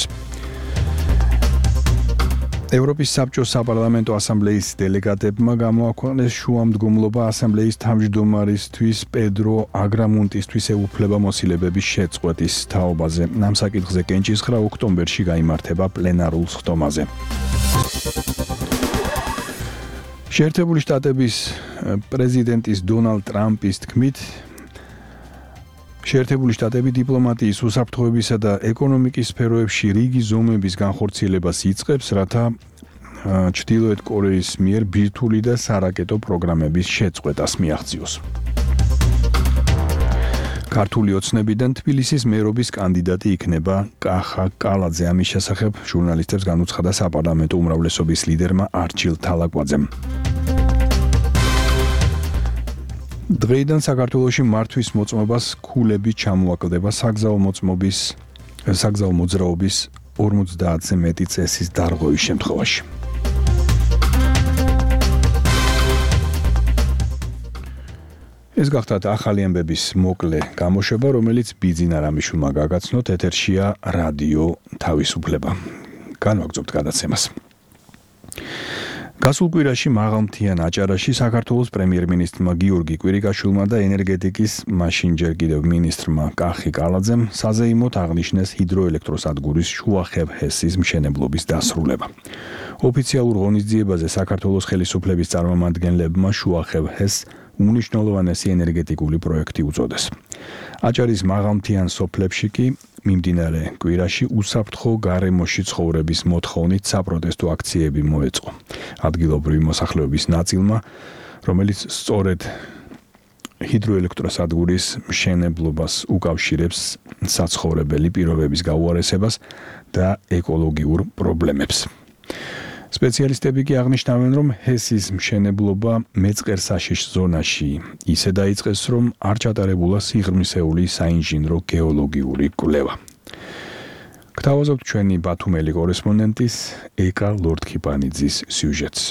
ევროპის საბჭოს საპარლამენტო ასამბლეის დელეგატებმა გამოაქვეყნეს შუამდგომლობა ასამბლეის თავმჯდომარისთვის პედრო აგრამუნტისთვის ეუფლებამოსილებების შეწყვეტის თაობაზე. ამ საკითხზე კენჭისხრა ოქტომბერში გაიმართება პლენარულ სხდომაზე. შეერთებული შტატების პრეზიდენტის დონალდ ტრამპის თქმით, შეერთებული შტატები დიპლომატიის, უსაფრთხოებისა და ეკონომიკის სფეროებში რიგი ზომების განხორციელებას იწყებს, რათა ჩრდილოეთ კორეის მიერ ბირთვული და სარაკეტო პროგრამების შეწყვეტას მიაღწიოს. ქართული ოცნებიდან თბილისის მერობის კანდიდატი იქნება კახა კალაძე. ამის შესახებ ჟურნალისტებს განუცხადა საპარლამენტო უმრავლესობის ლიდერმა არჩილ თალაკვაძემ. დღეიდან საქართველოში მართვის მოწმობას ქულები ჩამოაკლდება საგზაო მოწმობის საგზაო მოძრაობის ორმოცდაათზე მეტი წესის დარღვევის შემთხვევაში. ეს გახდათ ახალი ამბების მოკლე გამოშვება, რომელიც ბიძინა რამიშვილმა გაგაცნოთ. ეთერშია რადიო თავისუფლება. განვაგრძობთ გადაცემას. გასულ კვირაში მაღალმთიან აჭარაში საქართველოს პრემიერ-მინისტრმა გიორგი კვირიკაშვილმა და ენერგეტიკის მაშინ ჯერ კიდევ მინისტრმა კახი კალაძემ საზეიმოდ აღნიშნეს ჰიდროელექტროსადგურის შუახევ ჰესის მშენებლობის დასრულება. ოფიციალურ ღონისძიებაზე საქართველოს ხელისუფლების წარმომადგენლებმა შუახევ ჰესს უნიშნულოვანესი ენერგეტიკული პროექტი უწოდეს. აჭარის მაღალმთიან სოფლებში კი მიმდინარე კვირაში უსაფრთხო გარემოში ცხოვრების მოთხოვნით საპროტესტო აქციები მოეწყო. ადგილობრივი მოსახლეობის ნაწილმა, რომელიც სწორედ ჰიდროელექტროსადგურის მშენებლობას უკავშირებს საცხოვრებელი პირობების გაუარესებას და ეკოლოგიურ პრობლემებს. სპეციალისტები კი აღნიშნავენ, რომ ჰესის მშენებლობა მეწყერსაშიშ ზონაში ისე დაიწყეს, რომ არ ჩატარებულა სიღრმისეული საინჟინრო გეოლოგიური კვლევა. გთავაზობთ ჩვენი ბათუმელი კორესპონდენტის ეკა ლორდქიპანიძის სიუჟეტს.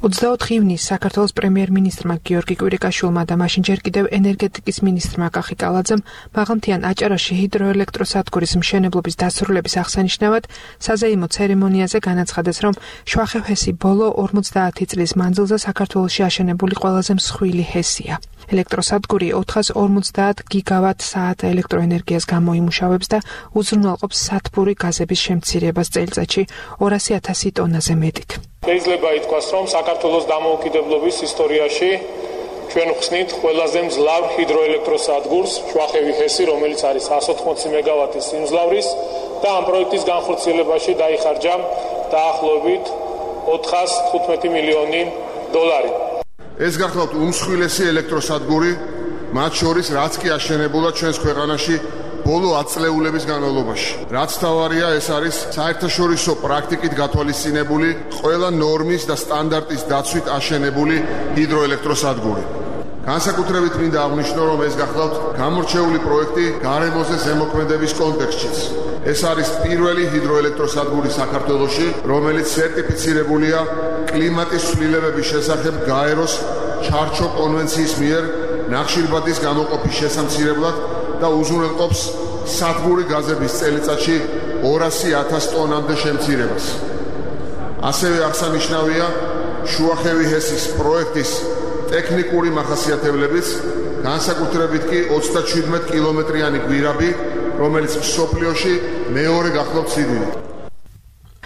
ოცდაოთხი ივნისს საქართველოს პრემიერ-მინისტრმა გიორგი კვირიკაშვილმა და მაშინ ჯერ კიდევ ენერგეტიკის მინისტრმა კახი კალაძემ მაღალმთიან აჭარაში ჰიდროელექტროსადგურის მშენებლობის დასრულების აღსანიშნავად საზეიმო ცერემონიაზე განაცხადეს, რომ შუახევ ჰესი ბოლო ორმოცდაათი წლის მანძილზე საქართველოში აშენებული ყველაზე მსხვილი ჰესია. ელექტროსადგური ოთხას ორმოცდაათ გიგავატ საათ ელექტროენერგიას გამოიმუშავებს და უზრუნველყოფს სათბური გაზების შემცირებას წელიწადში ორასი ათასი ტონაზე მეტით. შეიძლება ითქვას, რომ საქართველოს დამოუკიდებლობის ისტორიაში ჩვენ ვხსნით ყველაზე მძლავრ ჰიდროელექტროსადგურს შუახევი ჰესი, რომელიც არის εκατს ოთხმოცი მეგავატის სიმძლავრის და ამ პროექტის განხორციელებაში დაიხარჯა დაახლოებით ოთხას თხუთმეტი მილიონი დოლარი. ეს გახლავთ უმსხვილესი ელექტროსადგური, მათ შორის რაც კი აშენებულა ჩვენს ქვეყანაში ბოლო ათ წლეულების განმავლობაში. რაც თავარია, ეს არის საერთაშორისო პრაქტიკით გათვალისწინებული ყველა ნორმის და სტანდარტის დაცვით აშენებული ჰიდროელექტროსადგური. განსაკუთრებით მინდა აღვნიშნო, რომ ეს გახლავთ გამორჩეული პროექტი გარემოზე ზემოქმედების კონტექსტშიც. ეს არის პირველი ჰიდროელექტროსადგური საქართველოში, რომელიც სერტიფიცირებულია კლიმატის ცვლილებების შესახებ გაეროს ჩარჩო კონვენციის მიერ ნახშირბადის გამოყოფის შესამცირებლად და უზრუნველყოფს სათბური გაზების წელიწადში ორასი ათას ტონამდე შემცირებას. ასევე აღსანიშნავია შუახევი ჰესის პროექტის ტექნიკური მახასიათებლებიც, განსაკუთრებით კი ოცდაჩვიდმეტ კილომეტრიანი გვირაბი, რომელიც მსოფლიოში მეორე გახლავთ სიდიდით.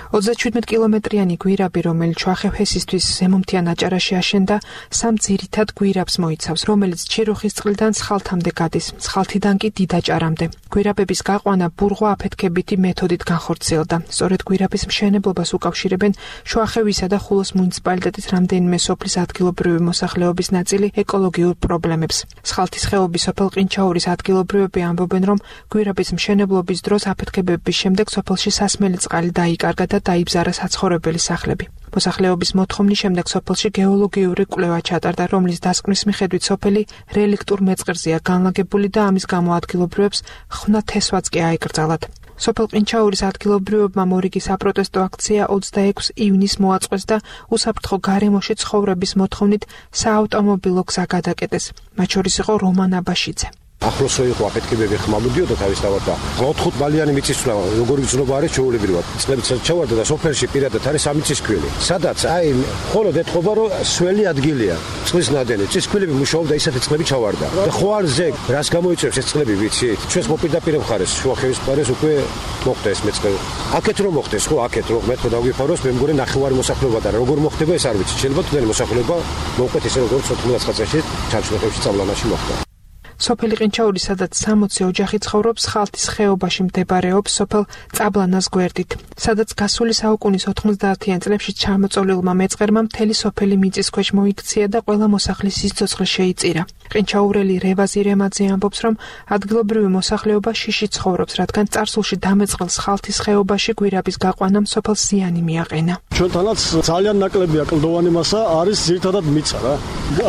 ოცდაჩვიდმეტ კილომეტრიანი გვირაბი, რომელიც შუახევ ჰესისთვის ზემომთიან აჭარაში აშენდა, სამ ძირითად გვირაბს მოიცავს, რომელიც ჩიროხის წყლიდან ცხალთამდე გადის, ცხალთიდან კი დიდაჭარამდე. გვირაბების გაყვანა ბურღვა აფეთქებითი მეთოდით განხორციელდა. სწორედ გვირაბის მშენებლობას უკავშირებენ შუახევისა და ხულოს მუნიციპალიტეტის რამდენიმე სოფლის ადგილობრივი მოსახლეობის ნაწილი ეკოლოგიურ პრობლემებს. სხალთის ხეობის სოფელ ყინჩაურის ადგილობრივები ამბობენ, რომ გვირაბის მშენებლობის დროს აფეთქებების შემდეგ სოფელში სასმელი წყალი დაიკარგა და დაიბზარა საცხოვრებელი სახლები. მოსახლეობის მოთხოვნის შემდეგ სოფელში გეოლოგიური კვლევა ჩატარდა, რომლის დასკვნის მიხედვით სოფელი რელიქტურ მეწყერსია განლაგებული და ამის გამო ადგილობრივებს ხვნა თესვაც კი აიკრძალათ. სოფელ ყინჩაურის ადგილობრივებმა მორიგი საპროტესტო აქცია ოცდაექვსი ივნისს მოაწყვეს და უსაფრთხო გარემოში ცხოვრების მოთხოვნით საავტომობილო გზა გადაკეტეს. მათ შორის იყო რომან აბაშიძე. ახლოს რო იყო აფეთქებები ხმამოდიოდა თავისთავად და ოთხ ბალიანი მიწისძვრა როგორი გზნობა არის ჩაულებრივად. წლებიც ჩავარდა და სოფელში პირადად არის სამიწისქვილი. სადაც აი მხოლოდ ეთყობა რომ სველი ადგილია. წყლის ნადენი, წისქვილები მუშაობდა ისეთი წყლები ჩავარდა. და ხო არ ზეგ, რას გამოიწევს ეს წყლები ვიცით? ჩვენს მოპირდაპირ მხარეს, შუახევის მხარეს უკვე მოხდა ეს მეწყერი. აქეთ რომ მოხდეს, ხო აქეთ რომ მე თქო დაგვიფაროს, მე მგონი ნახევარი მოსახლეობა და როგორ მოხდება ეს არ ვიცი. შეიძლება თუნდაც მოსახლეობა მოუყვეთ ისე როგორც ოთხმოცდაათი წელში ჩარჩხლებში წავლანაში მოხდა. სოფელი ყინჩაური, სადაც სამოცი ოჯახი ცხოვრობს, ხალთის ხეობაში მდებარეობს სოფელ წაბლანას გვერდით, სადაც გასული საუკუნის ოთხმოცდაათიან წლებში ჩამოწოლილმა მეწყერმა მთელი სოფელი მიწისქვეშ მოიქცია და ყველა მოსახლის სიცოცხლე შეიწირა. ყინჩაურელი რევაზი რემაძე ამბობს, რომ ადგილობრივი მოსახლეობა შიში ცხოვრობს, რადგან წარსულში დამეწყრილ ხალთის ხეობაში გვირაბის გაყვანამ სოფელს ზიანი მიაყენა. ჩვენთანაც ძალიან ნაკლებია კლდოვანი მასა არის ძირითადად მიწა რა.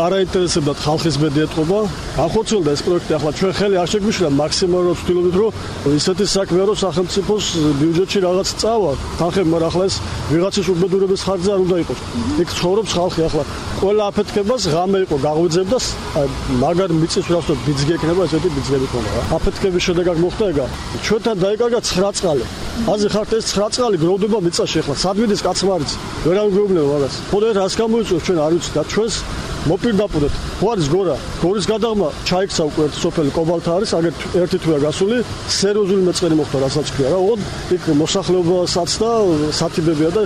არაინტერესებდათ ხალხის ბედი ეთყობა. ახორციელდა ეს პროექტი, ახლა ჩვენ ხელი არ შეგვიშლა, მაქსიმალურად ვცდილობთ, რომ ისეთი საქმეა, რომ სახელმწიფოს ბიუჯეტში რაღაც წავა. თანხები, მაგრამ ახლა ეს ვიღაცის უბედურების ხარჯზე არ უნდა იყოს. იქ ცხოვრობს ხალხი, ახლა ყველა აფეთქებას ღამე იყო გაღვიძებდა, მაგარ მიწისძვრას და ბიძგი ეკნება, ესეთი ბიძგები ქონდა რა. აფეთქების შედეგად მოხდა ეგა. ჩვენთან დაიკარგა ცხრა წყალი. აზრი ხართ ეს ცხრა წყალი გროვდება მიწაში, ახლა სადმიდის კაცმარიც ვერ ამგვეუბნება რაღაც. ხოდა რას გამოიწვევს ჩვენ არ ვიცით და ჩვენს მოპირდაპირეთ. ხო არის გორა, გორის გადაღმა ჩაიქცა უკვე ერთ სოფელი კობალთა არის, აგერ ერთი თვეა გასული, სერიოზული მეწყერი მოხდა, რასაც ქვია რა. ოღონდ იქ მოსახლეობასაც და სათიბებია და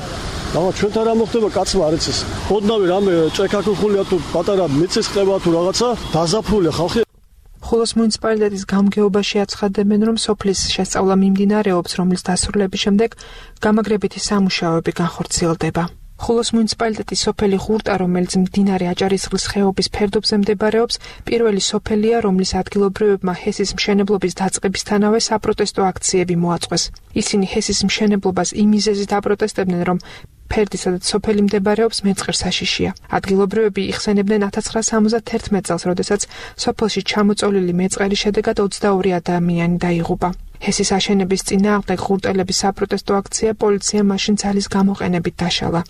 და ჩვენთან რა მოხდება კაცმა არ იცის. ოდნავი რამე ჭექაქუხულია თუ პატარა მიწის ყება თუ რაღაცა, დაზაფრულია ხალხი. ხულოს მუნიციპალიტეტის გამგეობაში აცხადებენ, რომ სოფლის შესწავლა მიმდინარეობს, რომლის დასრულების შემდეგ გამაგრებითი სამუშაოები განხორციელდება. ხულოს მუნიციპალიტეტის სოფელი ღურტა, რომელიც მდინარე აჭარისწყლის ხეობის ფერდობზე მდებარეობს, პირველი სოფელია, რომლის ადგილობრივებმა ჰესის მშენებლობის დაწყებისთანავე საპროტესტო აქციები მოაწყვეს. ისინი ჰესის მშენებლობას იმ მიზეზით აპროტესტებდნენ, რომ ფერდი, სადაც სოფელი მდებარეობს, მეწყერ საშიშია. ადგილობრივები იხსენებდნენ ათას ცხრაასა სამოცდაერთმეტ წელს, როდესაც სოფელში ჩამოწოლილი მეწყერის შედეგად ოცდაორი ადამიანი დაიღუპა. ჰესის აშენების წინააღმდეგ ღურტელების საპროტესტო აქცია პოლიციამ მაშინ ძალის გამოყენებით დაშალა.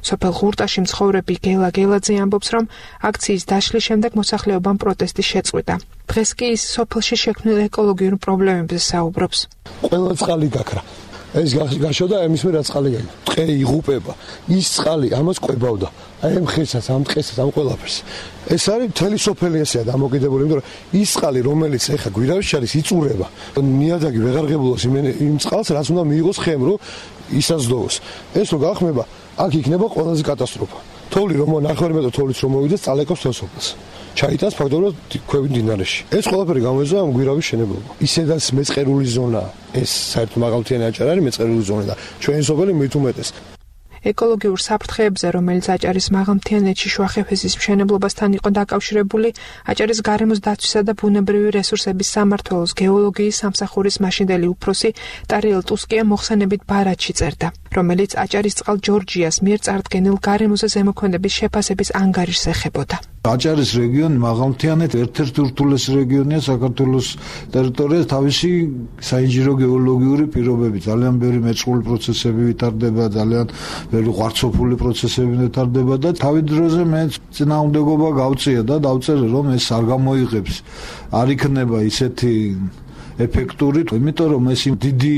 სოფელ ღურტაში მცხოვრები გელა გელაძე ამბობს, რომ აქციის დაშლის შემდეგ მოსახლეობამ პროტესტი შეწყვიტა. დღეს კი ის სოფელში შექმნილ ეკოლოგიურ პრობლემებზე საუბრობს. ყველა წყალი გაქრა. ეს გაშოდა ამის მე რა წყალი გაიგო. ტყე იღუპება. ის წყალი ამას ყვებავდა. აი ამ ხესაც, ამ ტყესაც, ამ ყველაფერს. ეს არის მთელი სოფელი ესეა დამოკიდებული, იმიტომ რომ ის წყალი, რომელიც ეხა გვირავში არის, იწურება. ნიადაგი ვეღარღებულოს იმ წყალს, რაც უნდა მიიღოს ხემ, რომ ისაზდოვოს. ეს რო გახმება, აქ იქნება ყველაზე კატასტროფა. თოვლი რომ ნახევარი მეტრი თოვლის რომ მოვიდეს, წალეკავს თელ სოფელს. ჩაიტანს ფაქტობრივად ქვევით მდინარეში. ეს ყველაფერი გამოეწვა ამ გვირავის შენებლობა. ისედაც მეწყერული ზონა, ეს საერთოდ მაღალმთიანი აჭარა არის მეწყერული ზონა და ჩვენი სოფელი მით უმეტეს. ეკოლოგიურ საფრთხეებზე, რომელიც აჭარის მაღალმთიანეთში შუახევესის მშენებლობასთან იყო დაკავშირებული, აჭარის გარემოს დაცვისა და ბუნებრივი რესურსების სამმართველოს გეოლოგიის სამსახურის მაშინდელი უფროსი ტარიელ ტუსკია მოხსენებით ბარათში წერდა, რომელიც აჭარის წყალ ჯორჯიას მიერ წარდგენილ გარემოზე ზემოქმედების შეფასების ანგარიშს ეხებოდა. აჭარის რეგიონი მაღალმთიანეთ ერთ-ერთი ურთულესი რეგიონია საქართველოს ტერიტორიაზე, თავისი საინჟინრო გეოლოგიური პირობები, ძალიან ბევრი მეწყრული პროცესები ვითარდება, ძალიან ბევრი ღვარცოფული პროცესები ვითარდება და თავი დროზე მე წინააღმდეგობა გავწია და დავწერე, რომ ეს არ გამოიღებს, არ იქნება ისეთი ეფექტური, იმიტომ რომ ეს დიდი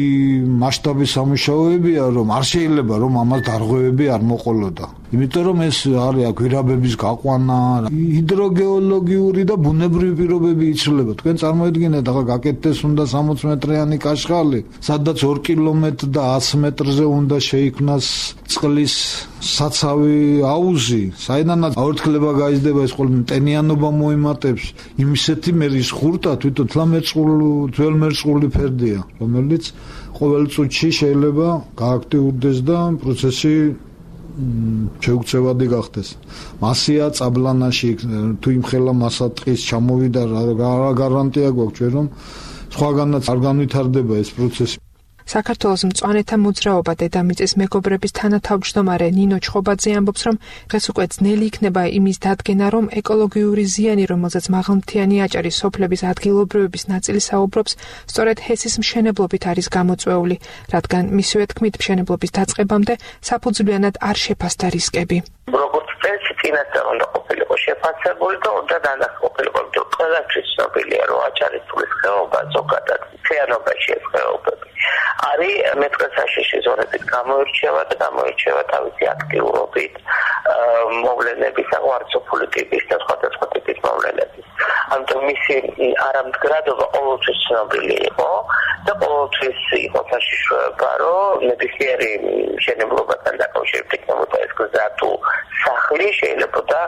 მასშტაბის სამუშაოებია, რომ არ შეიძლება რომ ამას დარღვევები არ მოყოლოდა. იმიტომ რომ ეს არის გვირაბების გაყვანა, ჰიდროგეოლოგიური და ბუნებრივი პირობები იცვლება. თქვენ წარმოედგინეთ, ახლა გაკეთდეს უნდა სამოცი მეტრიანი კაშხალი, სადაც ორი კილომეტრი და ათი მეტრზე უნდა შეიქმნას წყლის საცავი აუზი, საიდანაც აორთქლება გაიზრდება, ეს ყოველ ტენიანობა მოიმატებს. იმისეთი მერის ხურტა თვითონ თველმერწყული ფერდია, რომელიც ყოველ წუთში შეიძლება გააქტიურდეს და პროცესი შეუქცევადი გახდეს. მასია წაბლანაში თუ იმხელა მასა ტყის ჩამოვიდა, რა გარანტია გვაქვს ჩვენ რომ სხვაგანაც არ განვითარდება ეს პროცესი. საქართველოს მწვანეთა მოძრაობა დედამიწის მეგობრების თანათავმჯდომარე ნინო ჩხობაძე ამბობს, რომ დღეს უკვე ძნელი იქნება იმის დადგენა, რომ ეკოლოგიური ზიანი, რომელზეც მაღალმთიანი აჭარის სოფლების ადგილობრივების ნაწილი საუბრობს, სწორედ ჰესის მშენებლობით არის გამოწვეული, რადგან მისივე თქმით მშენებლობის დაწყებამდე საფუძვლიანად არ შეფასდა რისკები. როგორც წესი, წინასწარ უნდა ყოფილიყო შეფასებული და უნდა დანახულიყო, რომ ყველაფრის ცნობილია, რომ აჭარის წყლის ხეობა ზოგადად მთიანობაში ეს ხეობები არის მეტყესაშიში ზონებით გამოირჩევა და გამოირჩევა თავისი აქტიურობით, მოვლენების, აღარცოფული ტიპის და სხვადასხვა ტიპის მოვლენების. ამიტომ მისი არამდგრადობა ყოველთვის ცნობილი იყო და ყოველთვის იყო საშიშროება, რომ ნებისმიერი მშენებლობასთან დაკავშირებით იქნებოდა ეს გზა თუ სახლი შეიძლება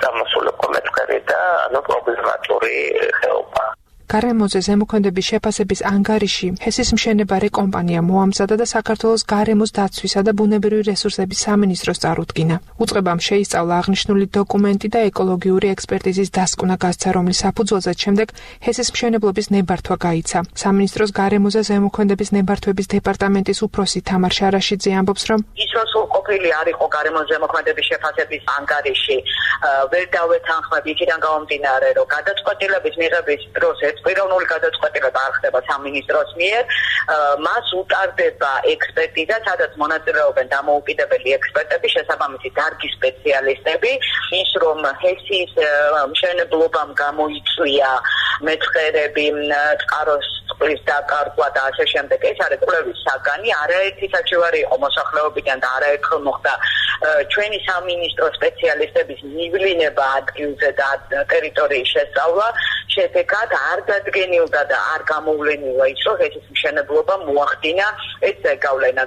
წამოსულიყო მეწყერი და ანუ პრობლემატური ხეობა. გარემოზე ზემოქმედების შეფასების ანგარიში ჰესის მშენებარე კომპანია მოამზადა და საქართველოს გარემოს დაცვისა და ბუნებრივი რესურსების სამინისტროს წარუდგინა. უწყებამ შეისწავლა აღნიშნული დოკუმენტი და ეკოლოგიური ექსპერტიზის დასკვნა გასცა, რომლის საფუძველზეც შემდეგ ჰესის მშენებლობის ნებართვა გაიცა. სამინისტროს გარემოზე ზემოქმედების ნებართვების დეპარტამენტის უფროსი თამარ შარაშიძე ამბობს, რომ ის რო სრულყოფილი არ იყო გარემოს ზემოქმედების შეფასების ანგარიში, ვერ დავეთანხმებ იქიდან გამომდინარე, რომ გადაწყვეტილების მიღების დროს პიროვნული გადაწყვეტილება არ ხდება სამინისტროს მიერ, მას უტარდება ექსპერტიზა, სადაც მონაწილეობენ დამოუკიდებელი ექსპერტები, შესაბამისი დარგის სპეციალისტები, ის რომ ჰესის მშენებლობამ გამოიწვია მეწყერები, წყაროს წყლის დაკარგვა და ასე შემდეგ, ეს არის კვლევის საგანი, არაერთი საჩივარი იყო მოსახლეობიდან და არაერთხელ მოხდა ჩვენი სამინისტრო სპეციალისტების მივლინება ადგილზე და ტერიტორიის შესწავლა, შედეგად არ დადგენილდა და არ გამოვლენილა ის, რომ ჰესის მშენებლობა მოახდინა ეს ზეგავლენა.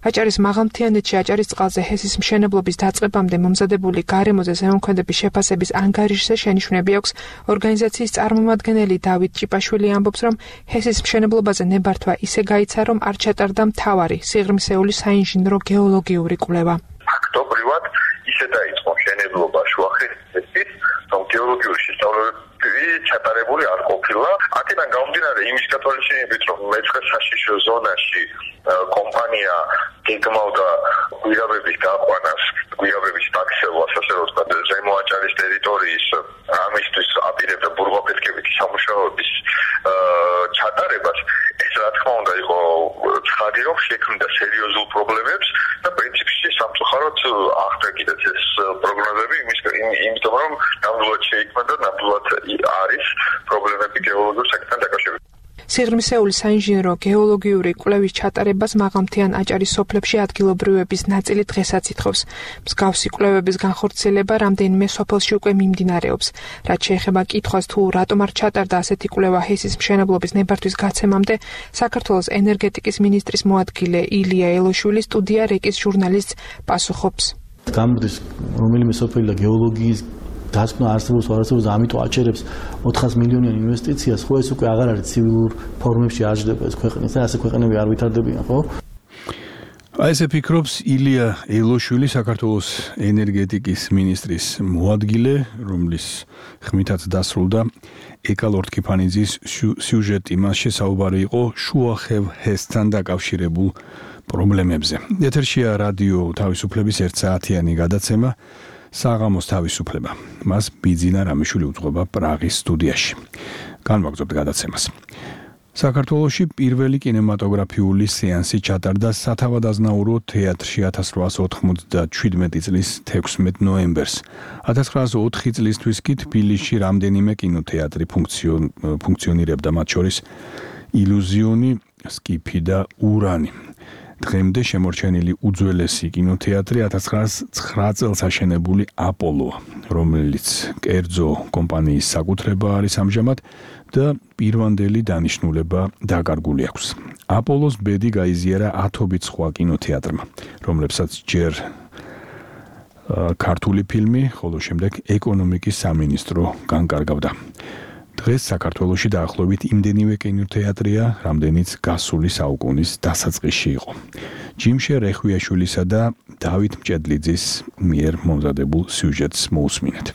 აჭარის მაღალმთიანეთში აჭარის წყალზე ჰესის მშენებლობის დაწყებამდე მომზადებული გარემოზე ზემოქმედების შეფასების ანგარიშზე შენიშვნები აქვს. ორგანიზაციის წარმომადგენელი დავით ჭიპაშვილი ამბობს, რომ ჰესის მშენებლობაზე ნებართვა ისე გაიცა, რომ არ ჩატარდა მთავარი სიღრმისეული საინჟინრო გეოლოგიური კვლევა. ფაქტობრივად ისე დაიწყო მშენებლობა შუახეთის, რომ გეოლოგიური შესწავლები ჩატარებული არ ყოფილა. აქედან გამომდინარე იმის გათვალისწინებით, რომ მეწყერსაშიშო ზონაში კომპანია გეგმავდა გვირაბების გაყვანას, გვირაბების დაქცევას, ასე რომ ვთქვათ, ზემო აჭარის ტერიტორიის ამისთვის აპირებდა ბურღაფეთქებითი სამუშაოების ჩატარებას, ეს რა თქმა უნდა იყო ცხადი, რომ შექმნდა სერიოზულ პრობლემებს და პრინციპში სამწუხაროდ ახდა კიდეც ეს პროგნოზები იმიტომ, რომ ნამდვილად შეიქმნა და ნამდვილად არის პრობლემები გეოლოგიურ საკითხთან დაკავშირებით. სიღრმისეული საინჟინრო გეოლოგიური კვლევის ჩატარებას მაღალმთიან აჭარის სოფლებში ადგილობრივების ნაწილი დღესაც ითხოვს. მსგავსი კვლევების განხორციელება რამდენიმე სოფელში უკვე მიმდინარეობს. რაც შეეხება კითხვას თუ რატომ არ ჩატარდა ასეთი კვლევა ჰესის მშენებლობის ნებართვის გაცემამდე, საქართველოს ენერგეტიკის მინისტრის მოადგილე ილია ელოშვილი სტუდია რეკის ჟურნალისტს პასუხობს. გამრდის რომელიმე სოფელი და გეოლოგიის დასკვნა არსებობს თუ არ არსებობს, ამიტომ აჩერებს ოთხას მილიონიან ინვესტიციას, ხო ეს უკვე აღარ არის ცივილურ ფორმებში აჯდება ეს ქვეყნის და ასე ქვეყნები არ ვითარდებიან, ხო? აი ესე ფიქრობს ილია ელოშვილი, საქართველოს ენერგეტიკის მინისტრის მოადგილე, რომლის ხმითაც დასრულდა ეკალორ თქიფანიძის სიუჟეტი. მასში საუბარი იყო შუახევ ჰესთან დაკავშირებულ პრობლემებზე. ეთერშია რადიო თავისუფლების ერთ საათიანი გადაცემა საღამოს თავისუფლება. მას ბიძინა რამიშვილი უძღვება პრაღის სტუდიაში. განვაგრძობთ გადაცემას. საქართველოში პირველი კინემატოგრაფიული სეანსი ჩატარდა სათავადაზნაურო თეატრში ათას რვაასი ოთხმოცდაშვიდმეტი წლის თექვსმეტ ნოემბერს. ათას ცხრაასი ოთხი წლისთვის კი თბილისში რამდენიმე კინოთეატრი ფუნქციონირებდა, მათ შორის ილუზიონი, სკიფი და ურანი. დღემდე შემორჩენილი უძველესი კინოთეატრი ათას ცხრაასი ცხრა წელს აშენებული აპოლოა, რომელიც კერძო კომპანიის საკუთრება არის ამჟამად და პირვანდელი დანიშნულება დაკარგული აქვს. აპოლოს ბედი გაიზიარა ათობით სხვა კინოთეატრმა, რომლებსაც ჯერ ქართული ფილმი, ხოლო შემდეგ ეკონომიკის სამინისტრო განკარგავდა. დღეს საქართველოში დაახლოებით იმდენივე კინოთეატრია, რამდენიც გასული საუკუნის დასაწყისში იყო. ჯიმშე რეხვიაშვილისა და დავით მჭედლიძის მიერ მომზადებულ სიუჟეტს მოусმინეთ.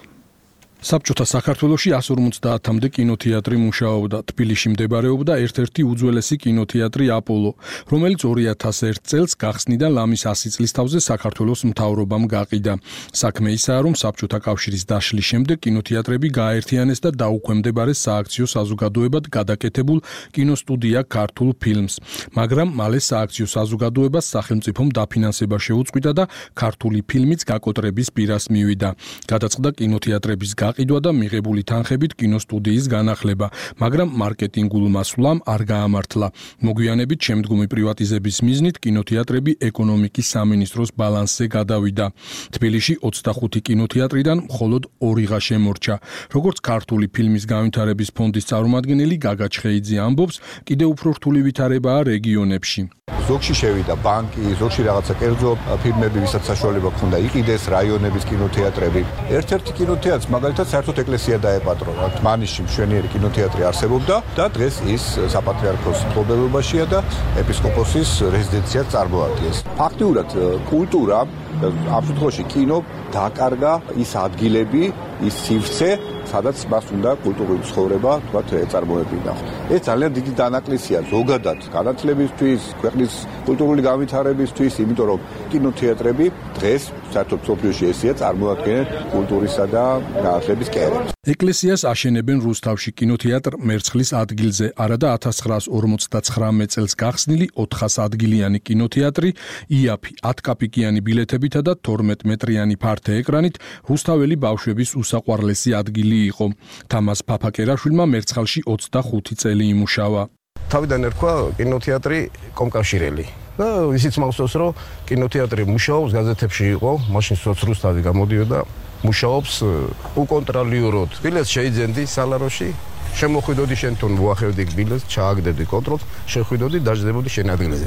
საბჭოთა საქართველოში εκατს ორმოცდაათამდე კინოთეატრი მუშაობდა. თბილისში მდებარეობდა ერთ-ერთი უძველესი კინოთეატრი აპოლო, რომელიც ორი ათას ერთ წელს გახსნიდან ლამის ასი წლის თავზე საქართველოს მთავრობამ გაყიდა. საქმე ისაა, რომ საბჭოთა კავშირის დაშლის შემდეგ კინოთეატრები გააერთიანეს და დაუქვემდებარეს სააქციო საზოგადოებად გადაკეთებულ კინოსტუდია ქართულ ფილმს. მაგრამ მალე სააქციო საზოგადოებას სახელმწიფომ დაფინანსება შეუწყვიტა და ქართული ფილმიც გაკოტრების პირას მივიდა. გადაწყდა კინოთეატრების გაყიდვა და მიღებული თანხებით კინოსტუდიის განახლება, მაგრამ მარკეტინგულ მასვლამ არ გაამართლა. მოგვიანებით შემდგომი პრივატიზების მიზნით კინოთეატრები ეკონომიკის სამინისტროს ბალანსზე გადავიდა. თბილისში ოცდახუთი კინოთეატრიდან მხოლოდ ორიღა შემორჩა. როგორც ქართული ფილმის განვითარების ფონდის წარმომადგენელი გაგა ჩხეიძე ამბობს, კიდევ უფრო რთული ვითარებაა რეგიონებში. ზოგში შევიდა ბანკი, ზოგში რაღაცა კერძო ფილმები, ვისაც საშუალება ჰქონდა იყიდეს რაიონების კინოთეატრები. ერთ-ერთი კინოთეატრს მაგალითად საერთოდ ეკლესია დაეპატრონა. თმანიშში მშვენიერი კინოთეატრი არსებობდა და დღეს ის საპატრიარქოს მფლობელობაშია და ეპისკოპოსის რეზიდენციას წარმოადგენს. ფაქტიურად კულტურა, ამ შემთხვევაში კინო დაკარგა ის ადგილები, ის სივრცე, სადაც მას უნდა კულტურული ცხოვრება, თქვათ, ეწარმოებინა. ეს ძალიან დიდი დანაკლისია ზოგადად განათლებისთვის, ქვეყნის კულტურული განვითარებისთვის, იმიტომ რომ კინოთეატრები დღეს საერთოდ მსოფლიოში ესეა წარმოადგენენ კულტურისა და განათლების კერებს. ეკლესიას აშენებენ რუსთავში კინოთეატრ მერცხლის ადგილზე, არადა ათას ცხრაას ორმოცდაცხრამეტ წელს გახსნილი ოთხას ადგილიანი კინოთეატრი იაფი ათკაპიკიანი ბილეთებითა და თორმეტ მეტრიანი ფართე ეკრანით რუსთაველი ბავშვების უსაყვარლესი ადგილი იყო. თამაზ ფაფაკერაშვილმა მერცხალში ოცდახუთი წელი იმუშავა. თავიდან ერქვა კინოთეატრი კომკავშირელი. და ისიც მახსოვს, რომ კინოთეატრი მუშაობს, გაზეთებში იყო, მაშინ სოცრუსთავი გამოდიოდა, მუშაობს უკონტროლიოროდ. ბილეთს შეიძენდი სალაროში, შემოხვიდოდი შენ თუნ მოახევდი ბილეთს, ჩააგდებდი კონტროლს, შეხვიდოდი, დაждდებოდი შენ ადგილზე.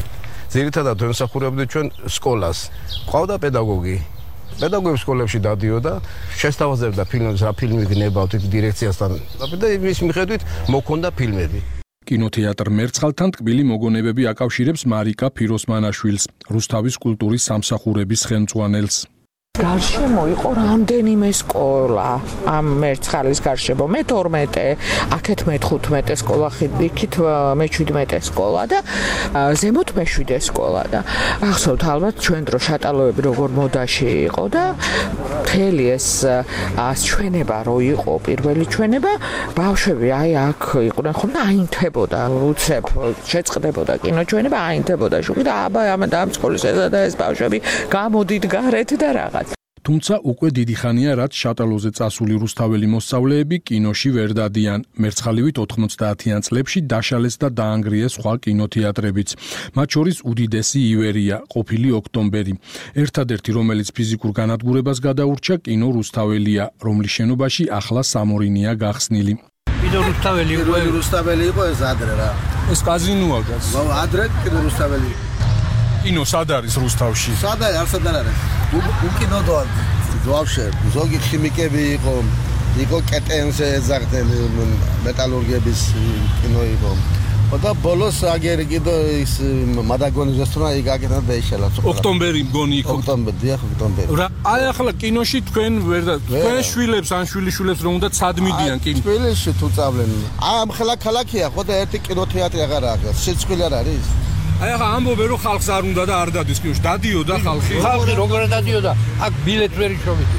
ძირითადად ემსახურებდი ჩვენ სკოლას. ყავდა პედაგოგი. პედაგოგები სკოლებში დადიოდა, შესთავაზებდა ფილმებს, რა ფილმი გნებავთ დირექციასთან. და იმის მიხედვით მოქონდა ფილმები. კინოთეატრ მერცხალთან ტკბილი მოგონებები აკავშირებს მარიკა ფიროსმანაშვილს, რუსთავის კულტურის სამსახურების ხელმძღვანელს. გარშემო იყო რამდენიმე სკოლა ამ მერცხალის გარშემო მე თორმეტე აქეთ მეთხუთმეტე სკოლა იქით მეჩვიდმეტე სკოლა და ზემოთ მეშვიდე სკოლა და ახსოვთ ალბათ ჩვენ დრო შატალოები როგორ მოდაში იყო და მთელი ეს ჩვენება რო იყო პირველი ჩვენება ბავშვები აი აქ იყვნენ ხოლმე აინთებოდა უცებ შეწყდებოდა კინოჩვენება აინთებოდა შუქი და აბა ამ და ამ სკოლის ესა და ეს ბავშვები გამოდით გარეთ და რაღაც თუმცა უკვე დიდი ხანია, რაც შატალოზე წასული რუსთაველი მოსწავლეები კინოში ვერ დადიან. მერცხალივით ოთხმოცდაათიან წლებში დაშალეს და დაანგრიეს სხვა კინოთეატრებიც. მათ შორის უდიდესი ივერია, ყოფილი ოქტომბერი. ერთადერთი, რომელიც ფიზიკურ განადგურებას გადაურჩა, კინო რუსთაველია, რომლის შენობაში ახლა სამორინია გახსნილი. კინო რუსთაველი იყო, რუსთაველი იყო ეს ადრე რა. ეს კაზინოა გას. ადრე კინო რუსთაველი. კინო სად არის რუსთავში? სად არის, არ სად არის. უკინო და ვაფშე ზოგი ქიმიკები იყო, იყო კეტენზე ეძახდნენ მეტალურგების კინო იყო. და ბოლოს აგერი კიდე ის მადაგონიზესტონა იგაკეთა და ეშალა. ოქტომბერი მგონი იყო. ოქტომბერი, დიახ, ოქტომბერი. რა, აი ახლა კინოში თქვენ ვერ და თქვენ შვილებს ან შვილიშვილებს რომ უნდა ცადმიდიან კინო. თბილისში თუ წავლენ. ამ ხელა ქალაქია, ხო და ერთი კინოთეატრი აღარ აქვს. შეცვლილი არ არის. აი ახლა ამბობენ რომ ხალხს არ უნდა და არ დადის კინოში. დადიოდა ხალხი. ხალხი როგორ დადიოდა? აქ ბილეთს ვერ იშოვით.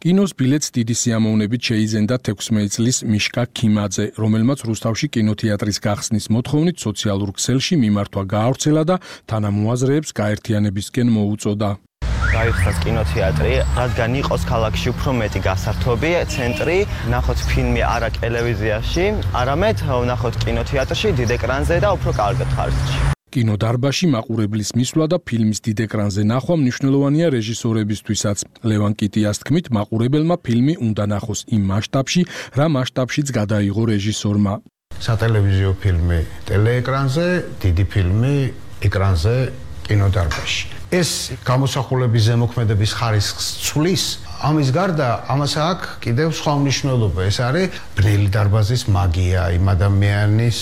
კინოს ბილეთს დიდი სიამოვნებით შეიძენდა თექვსმეტ წლის მიშკა ქიმაძე, რომელმაც რუსთავში კინოთეატრის გახსნის მოთხოვნით სოციალურ ქსელში მიმართვა გაავრცელა და თანამოაზრეებს გაერთიანებისკენ მოუწოდა. გაიხსნას კინოთეატრი, რადგან იყოს ქალაქში უფრო მეტი გასართობი ცენტრი, ნახოთ ფილმი არა ტელევიზიაში, არამედ ვნახოთ კინოთეატრში, დიდ ეკრანზე და უფრო კარგ ხარჯში. კინოდარბაზში მაყურებლის მისვლა და ფილმის დიდ ეკრანზე ნახვა მნიშვნელოვანია რეჟისორებისთვისაც. ლევან კიტიას თქმით, მაყურებელმა ფილმი უნდა ნახოს იმ მასშტაბში, რა მასშტაბშიც გადაიღო რეჟისორმა. სატელევიზიო ფილმი ტელეეკრანზე, დიდი ფილმი ეკრანზე კინოდარბაზში. ეს გამოსახულების ზემოქმედების ხარისხს ცვლის, ამის გარდა ამას აქვს კიდევ სხვა მნიშვნელობა. ეს არის ბნელი დარბაზის მაგია, იმ ადამიანის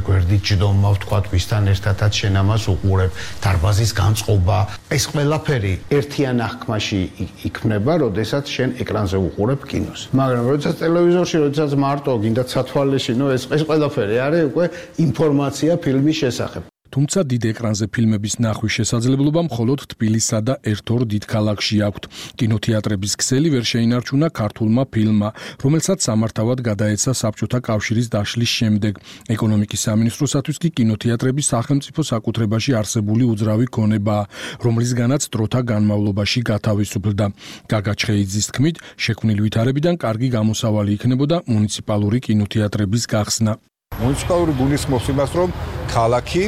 გვერდით ჯდომა, ვთქვათ, ვისთან ერთადაც შენ ამას უყურებ, დარბაზის განწყობა. ეს ყველაფერი ერთიან აღქმაში იქმნება, როდესაც შენ ეკრანზე უყურებ კინოს. მაგრამ როდესაც ტელევიზორში, როდესაც მარტო გინდა ცათვალეში, ნუ ეს ეს ყველაფერი არის უკვე ინფორმაცია ფილმის შესახებ. თუმცა დიდ ეკრანზე ფილმების ნახვის შესაძლებლობა მხოლოდ თბილისსა და ერთ-ორ დიდ ქალაქში აქვთ. კინოთეატრების ქსელი ვერ შეინარჩუნა ქართულმა ფილმმა, რომელსაც სამართავად გადაეცა საბჭოთა კავშირის დაშლის შემდეგ. ეკონომიკის სამინისტროსათვის კი კინოთეატრები სახელმწიფო საკუთრებაში არსებული უძრავი ქონებაა, რომლისგანაც დროთა განმავლობაში გათავისუფლდა. გაგა ჩხეიძის თქმით, შექმნილი ვითარებიდან კარგი გამოსავალი იქნებოდა მუნიციპალური კინოთეატრების გახსნა. მუნიციპალური გულისხმობს იმას, რომ ქალაქი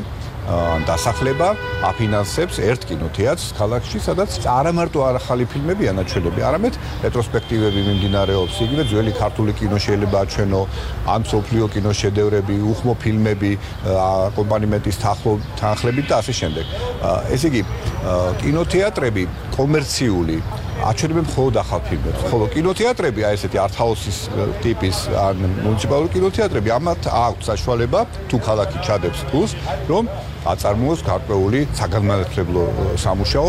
დასახლება აფინანსებს ერთ კინოთეატრს ქალაქში, სადაც არა მარტო ახალი ფილმები ანაჩვენები, არამედ რეტროსპექტივები მიმდინარეობს, იგივე ძველი ქართული კინო შეიძლება აჩვენო, ან მსოფლიო კინოშედევრები, უხმო ფილმები, აკომპანიმენტის თანხლებით და ასე შემდეგ. ესე იგი, კინოთეატრები კომერციული აჩვენებენ მხოლოდ ახალ ფილმებს, ხოლო კინოთეატრები, აი ესეთი არტ-ჰაუსის ტიპის ან მუნიციპალური კინოთეატრები, ამათ აქვს საშუალება თუ ქალაქი ჩადებს ფულს, რომ აწარმოოს გარკვეული საგანმანათლებლო სამუშაო.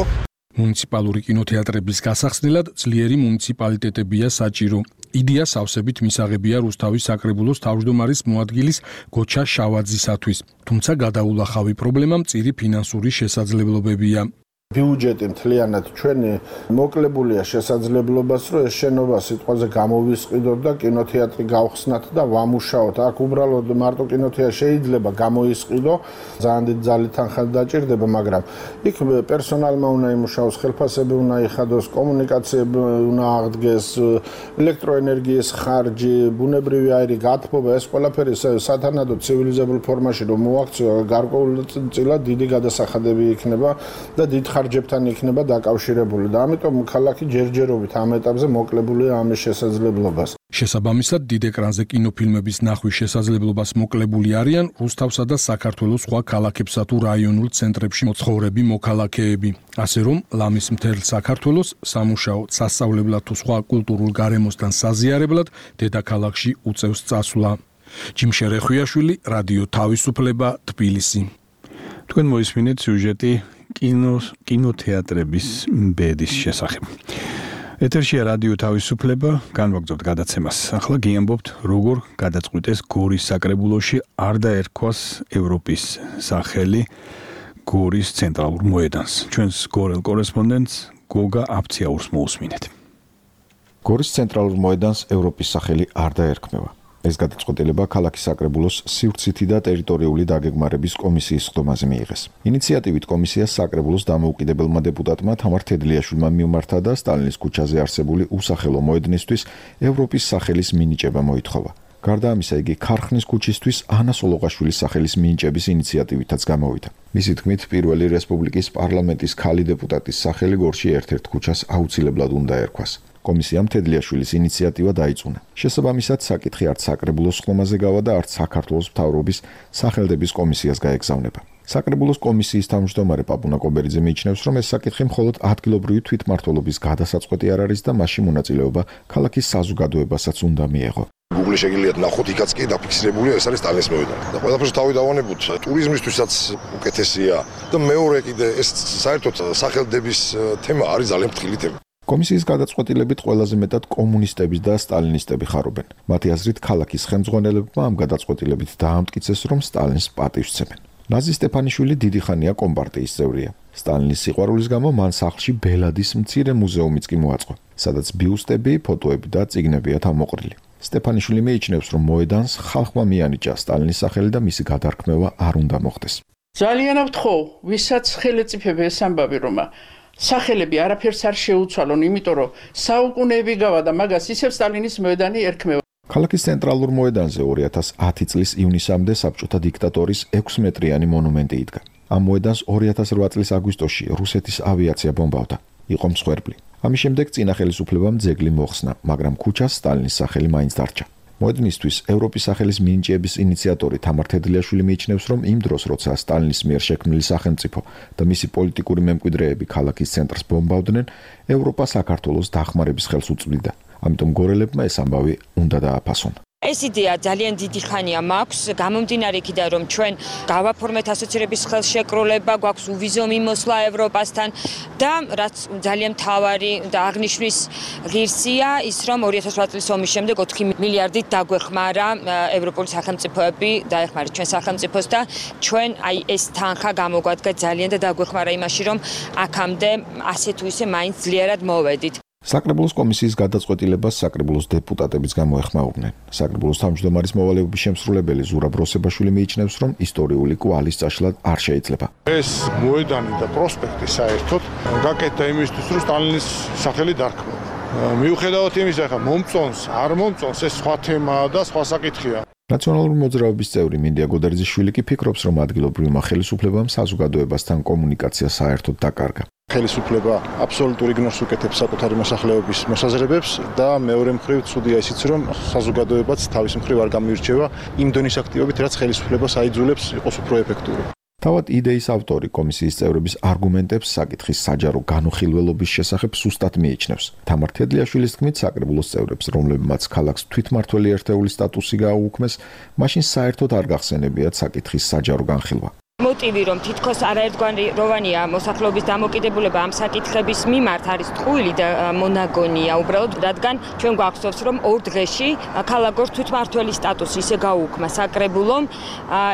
მუნიციპალური კინოთეატრების გასახსნელად ძლიერი მუნიციპალიტეტებია საჭირო. იდეა სავსებით მისაღებია რუსთავის საკრებულოს თავმჯდომარის მოადგილის გოჩა შავაძისათვის, თუმცა გადაულახავი პრობლემა მწირი ფინანსური შესაძლებლობებია. ბიუჯეტი მთლიანად ჩვენი მოკლებულია შესაძლებლობას, რომ ეს შენობა სიტყვაზე გამოვისყიდოთ და კინოთეატრი გავხსნათ და ვამუშაოთ. აქ უბრალოდ მარტო კინოთეატრი შეიძლება გამოისყიდო, ძალიან დიდი ძალით თანხმად დაჭირდება, მაგრამ იქ პერსონალმა უნდა იმუშაოს, ხელფასები უნდა იხადოს, კომუნიკაციები უნდა აღდგეს, ელექტროენერგიის ხარჯი, ბუნებრივი აირი, გათბობა, ეს ყველაფერი სათანადო ცივილიზებულ ფორმაში რომ მოაქციო, გარკვეულწილად დიდი გადასახადები იქნება და დიდ ხარჯებთან იქნება დაკავშირებული და ამიტომ ქალაქი ჯერჯერობით ამ ეტაპზე მოკლებულია ამის შესაძლებლობას. შესაბამისად, დიდ ეკრანზე კინოფილმების ნახვის შესაძლებლობას მოკლებული არიან რუსთავსა და საქართველოს სხვა ქალაქებსა თუ რაიონულ ცენტრებში მოცხოვრები მოქალაქეები. ასე რომ, ლამის მთელ საქართველოს სამუშაო, სასწავლებლად თუ სხვა კულტურულ გარემოსთან საზიარებლად დედაქალაქში უწევს წასვლა. ჯიმშერე ხვიაშვილი, რადიო თავისუფლება, თბილისი. თქვენ მოისმინეთ სიუჟეტი კინოს კინოთეატრების ბედის შესახებ. ეთერშია რადიო თავისუფლება, განვაგრძობთ გადაცემას. ახლა გიამბობთ, როგორ გადაწყვიტეს გორის საკრებულოში არ დაერქვას ევროპის სახელი გორის ცენტრალურ მოედანს. ჩვენს გორელ კორესპონდენტს გოგა აფციაურს მოусმინეთ. გორის ცენტრალურ მოედანს ევროპის სახელი არ დაერქმევა. ეს გადაწყვეტილება ქალაქის საკრებულოს სივრცითი და ტერიტორიული დაგეგმარების კომისიის ხდომაზე მიიღეს. ინიციატივით კომისიას საკრებულოს დამოუკიდებელმა დეპუტატმა თამარ თედლიაშვილმა მიმართა და სტალინის ქუჩაზე არსებული უსახელო მოედნისთვის ევროპის სახელის მინიჭება მოითხოვა. გარდა ამისა, იგი ქარხნის ქუჩისთვის ანა სოლოღაშვილის სახელის მინიჭების ინიციატივითაც გამოვიდა. მისი თქმით, პირველი რესპუბლიკის პარლამენტის ქალი დეპუტატის სახელი გორში ერთ-ერთ ქუჩას აუცილებლად უნდა ერქვას. კომისიამ თედლიაშვილის ინიციატივა დაიწუნა. შესაბამისად, საკითხი არც საკრებულოს ხდომაზე გავა და არც საქართველოს მთავრობის სახელდების კომისიას გაეგზავნება. საკრებულოს კომისიის თავმჯდომარე პაპუნა კობერიძე მიიჩნევს, რომ ეს საკითხი მხოლოდ ადგილობრივი თვითმმართველობის გადასაწყვეტი არ არის და მასში მონაწილეობა ქალაქის საზოგადოებასაც უნდა მიეღო. Google-ში შეგიძლიათ ნახოთ, იქაც კი დაფიქსირებულია, ეს არის სტალინის მოედანი. და ყველაფერს თავი დავანებოთ, ტურიზმისთვისაც უკეთესია და მეორე კიდე ეს საერთოდ სახელდების თემა არის ძალიან ფრთხილი თემა. კომისიის გადაწყვეტილებით ყველაზე მეტად კომუნისტები და სტალინისტები ხარობენ. მათი აზრით, ქალაქის ხელმძღვანელებმა ამ გადაწყვეტილებით დაამტკიცეს, რომ სტალინს პატივს სცემენ. ნაზი სტეფანიშვილი დიდი ხანია კომპარტიის წევრია. სტალინის სიყვარულის გამო მან სახლში ბელადის მცირე მუზეუმიც კი მოაწყო, სადაც ბიუსტები, ფოტოები და წიგნებია თავმოყრილი. სტეფანიშვილი მიიჩნევს, რომ მოედანს ხალხმა მიანიჭა სტალინის სახელი და მისი გადარქმევა არ უნდა მოხდეს. ძალიან ავთხოვ, ვისაც ხელეწიფება ეს ამბავი, რომ სახელები არაფერს არ შეუცვალონ, იმიტომ რომ საუკუნეები გავა და მაგას ისევ სტალინის მოედანი ერქმევა. ქალაქის ცენტრალურ მოედანზე ორი ათას ათი წლის ივნისამდე საბჭოთა დიქტატორის ექვსი მეტრიანი მონუმენტი იდგა. ამ მოედანს ორი ათას რვა წლის აგვისტოში რუსეთის ავიაცია ბომბავდა. იყო მსხვერპლი. ამის შემდეგ წინა ხელისუფლებამ ძეგლი მოხსნა, მაგრამ ქუჩას სტალინის სახელი მაინც დარჩა. მოედნისთვის ევროპის სახელის მინიჭების ინიციატორი თამარ თედლიაშვილი მიიჩნევს, რომ იმ დროს, როცა სტალინის მიერ შექმნილი სახელმწიფო და მისი პოლიტიკური მემკვიდრეები ქალაქის ცენტრს ბომბავდნენ, ევროპა საქართველოს დახმარების ხელს უწვდიდა. ამიტომ გორელებმა ეს ამბავი უნდა დააფასონ. ეს იდეა ძალიან დიდი ხანია მაქვს, გამომდინარე იქიდან, რომ ჩვენ გავაფორმეთ ასოცირების ხელშეკრულება, გვაქვს უვიზო მიმოსვლა ევროპასთან და რაც ძალიან მთავარი და აღნიშვნის ღირსია ის, რომ ორი ათას ოთხ წლის ომის შემდეგ ოთხი მილიარდით დაგვეხმარა ევროპული სახელმწიფოები, დაეხმარეთ ჩვენ სახელმწიფოს და ჩვენ აი ეს თანხა გამოგვადგა ძალიან და დაგვეხმარა იმაში, რომ აქამდე ასე თუ ისე მაინც ძლიერად მოვედით. საკრებულოს კომისიის გადაწყვეტილებას საკრებულოს დეპუტატებიც გამოეხმაურნენ. საკრებულოს თავმჯდომარის მოვალეობის შემსრულებელი ზურაბ როსებაშვილი მიიჩნევს, რომ ისტორიული კვალის წაშლა არ შეიძლება. ეს მოედანი და პროსპექტი საერთოდ გაკეთდა იმისთვის, რომ სტალინის სახელი დარქმევა. მიუხედავად იმისა, ხა მომწონს, არ მომწონს, ეს სხვა თემაა და სხვა საკითხია. ნაციონალური მოძრაობის წევრი მინდია გოდერძიშვილი კი ფიქრობს, რომ ადგილობრივმა ხელისუფლებამ საზოგადოებასთან კომუნიკაცია საერთოდ დაკარგა. ხელისუფლება აბსოლუტურ იგნორს უკეთებს საკუთარი მოსახლეობის მოსაზრებებს და მეორე მხრივ ცუდია ისიც, რომ საზოგადოებაც თავის მხრივ არ გამოირჩევა იმ დონის აქტივობით, რაც ხელისუფლებას აიძულებს იყოს უფრო ეფექტური. თავად იდეის ავტორი კომისიის წევრების არგუმენტებს საკითხის საჯარო განუხილველობის შესახებ სუსტად მიიჩნევს. თამარ თედლიაშვილის თქმით, საკრებულოს წევრებს, რომლებმაც ქალაქს თვითმმართველი ერთეულის სტატუსი გააუქმეს, მაშინ საერთოდ არ გახსენებიათ საკითხის საჯარო განხილვა. მოტივი, რომ თითქოს არაერთგვაროვანია მოსახლეობის დამოკიდებულება ამ საკითხების მიმართ არის ტყუილი და მონაგონია უბრალოდ, რადგან ჩვენ გვახსოვს, რომ ორ დღეში ქალაქოს თვითმმართველი სტატუსი ისე გაუქმა საკრებულომ,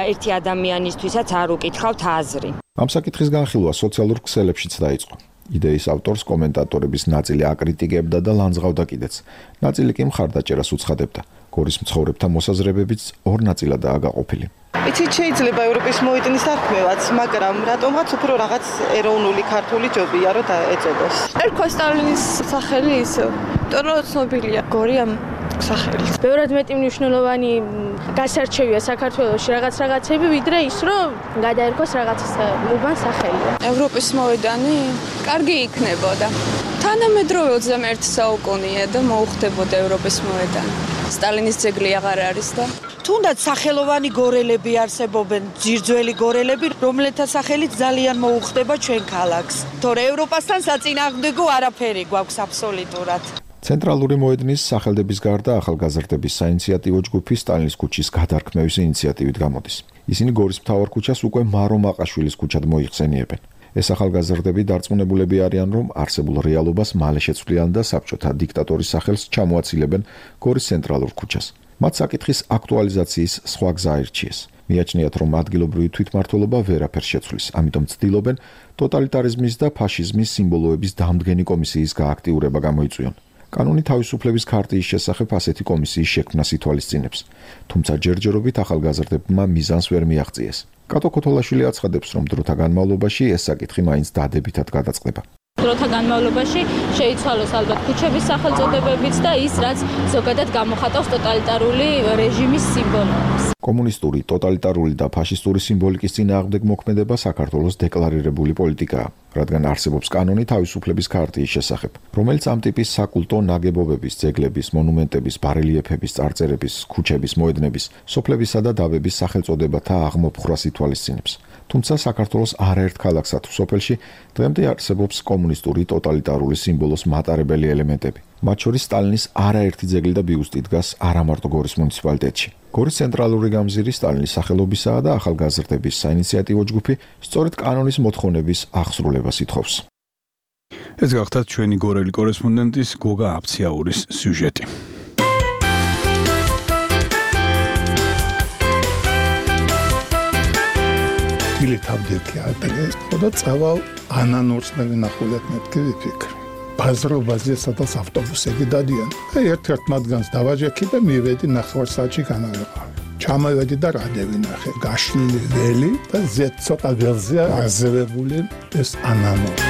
ერთი ადამიანისთვისაც არ უკითხავთ აზრი. ამ საკითხის განხილვა სოციალურ ქსელებშიც დაიწყო. იდეის ავტორს კომენტატორების ნაწილი აკრიტიკებდა და ლანძღავდა კიდეც. ნაწილი კი მხარდაჭერას უცხადებდა. გორის მცხოვრებთა მოსაზრებებიც ორ ნაწილადაა გაყოფილი. იცით, შეიძლება ევროპის მოედნის დარქმევაც, მაგრამ რატომღაც უფრო რაღაც ეროვნული ქართული ჯობია, რომ დაეწოდოს. ერქვა სტალინის სახელი ისევ, იმიტომ რომ ცნობილია გორი ამ სახელით. ბევრად მეტი მნიშვნელოვანი გასარჩევია საქართველოში რაღაც რაღაცები, ვიდრე ის, რომ გადაერქოს რაღაც უბან სახელი. ევროპის მოედანი კარგი იქნებოდა. თანამედროვე ოცდამეერთე საუკუნეა და მოუხდებოდა ევროპის მოედანი. სტალინის ძეგლი აღარ არის და თუნდაც სახელოვანი გორელები არსებობენ, ძირძველი გორელები, რომელთა სახელით ძალიან მოუხდება ჩვენ ქალაქს. თორე ევროპასთან საწინააღმდეგო არაფერი გვაქვს აბსოლუტურად. ცენტრალური მოედნის სახელდების გარდა ახალგაზრდების საინიციატივო ჯგუფი სტალინის ქუჩის გადარქმევის ინიციატივით გამოდის. ისინი გორის მთავარ ქუჩას უკვე მარო მაყაშვილის ქუჩად მოიხსენიებენ. ეს ახალგაზრდები დარწმუნებულები არიან, რომ არსებულ რეალობას მალე შეცვლიან და საბჭოთა დიქტატორის სახელს ჩამოაცილებენ გორის ცენტრალურ ქუჩას. მათ საკითხის აქტუალიზაციის სხვა გზა აირჩიეს. მიაჩნიათ, რომ ადგილობრივი თვითმმართველობა ვერაფერს შეცვლის, ამიტომ ცდილობენ ტოტალიტარიზმის და ფაშიზმის სიმბოლოების დამდგენი კომისიის გააქტიურება გამოიწვიონ. კანონი თავისუფლების ქარტიის შესახებ ასეთი კომისიის შექმნას ითვალისწინებს, თუმცა ჯერჯერობით ახალგაზრდებმა მიზანს ვერ მიაღწიეს. კატო ქოთოლაშვილი აცხადებს, რომ დროთა განმავლობაში ეს საკითხი მაინც დადებითად გადაწყდება. დროთა განმავლობაში შეიცვალოს ალბათ ქუჩების სახელწოდებებიც და ის, რაც ზოგადად გამოხატავს ტოტალიტარული რეჟიმის სიმბოლოებს. კომუნისტური, ტოტალიტარული და ფაშისტური სიმბოლიკის წინააღმდეგ მოქმედება საქართველოს დეკლარირებული პოლიტიკაა, რადგან არსებობს კანონი თავისუფლების ქარტიის შესახებ, რომელიც ამ ტიპის საკულტო ნაგებობების, ძეგლების, მონუმენტების, ბარელიეფების, წარწერების, ქუჩების, მოედნების, სოფლებისა და დავების სახელწოდებათა აღმოფხვრას ითვალისწინებს. თუმცა საქართველოს არაერთ ქალაქსა თუ სოფელში დღემდე არსებობს კომუნისტური ტოტალიტარული სიმბოლოს მატარებელი ელემენტები. მათ შორის სტალინის არაერთი ძეგლი და ბიუსტი დგას არამარტო გორის მუნიციპალიტეტში. გორის ცენტრალური გამზირი სტალინის სახელობისაა და ახალგაზრდების საინიციატივო ჯგუფი სწორედ კანონის მოთხოვნების აღსრულებას ითხოვს. ეს გახდათ ჩვენი გორელი კორესპონდენტის გოგა აფციაურის სიუჟეტი. თავდეთი ადრეს, ხოდა წავალ ანანურსნები ნახულეთ მეთქი ვიფიქრე. ბაზრობაზე სადაც ავტობუსები დადიან. ერთ-ერთ მათგანს დავაჯექი და მივედი ნახევარსაათში განავეყავი. ჩამოვედი და რადევი ნახე, გაშლილი ველი და ზეთ ცოტა ველზეა აზევებული ეს ანანური.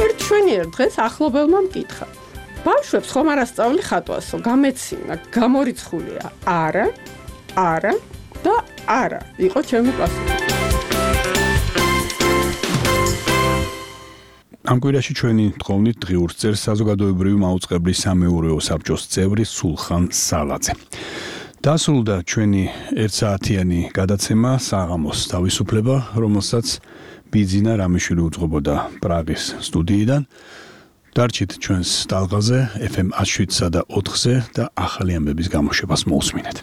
ერთ შვენიერ დღეს ახლობელმა მკითხა. ბავშვებს ხომ არ ასწავლი ხატვასო, გამეცინა, გამორიცხულია. არა, არა და არა, იყო ჩემი პასუხი. ამ კვირაში ჩვენი თხოვნით დღიურს წერს საზოგადოებრივი მაუწყებლის სამეურვეო საბჭოს წევრი სულხან სალაძე. დასრულდა ჩვენი ერთსაათიანი გადაცემა საღამოს თავისუფლება, რომელსაც ბიძინა რამიშვილი უძღვებოდა პრაღის სტუდიიდან. დარჩით ჩვენს ტალღაზე ეფ ემ ათს შვიდსა და ოთხზე და ახალი ამბების გამოშვებას მოусმინეთ.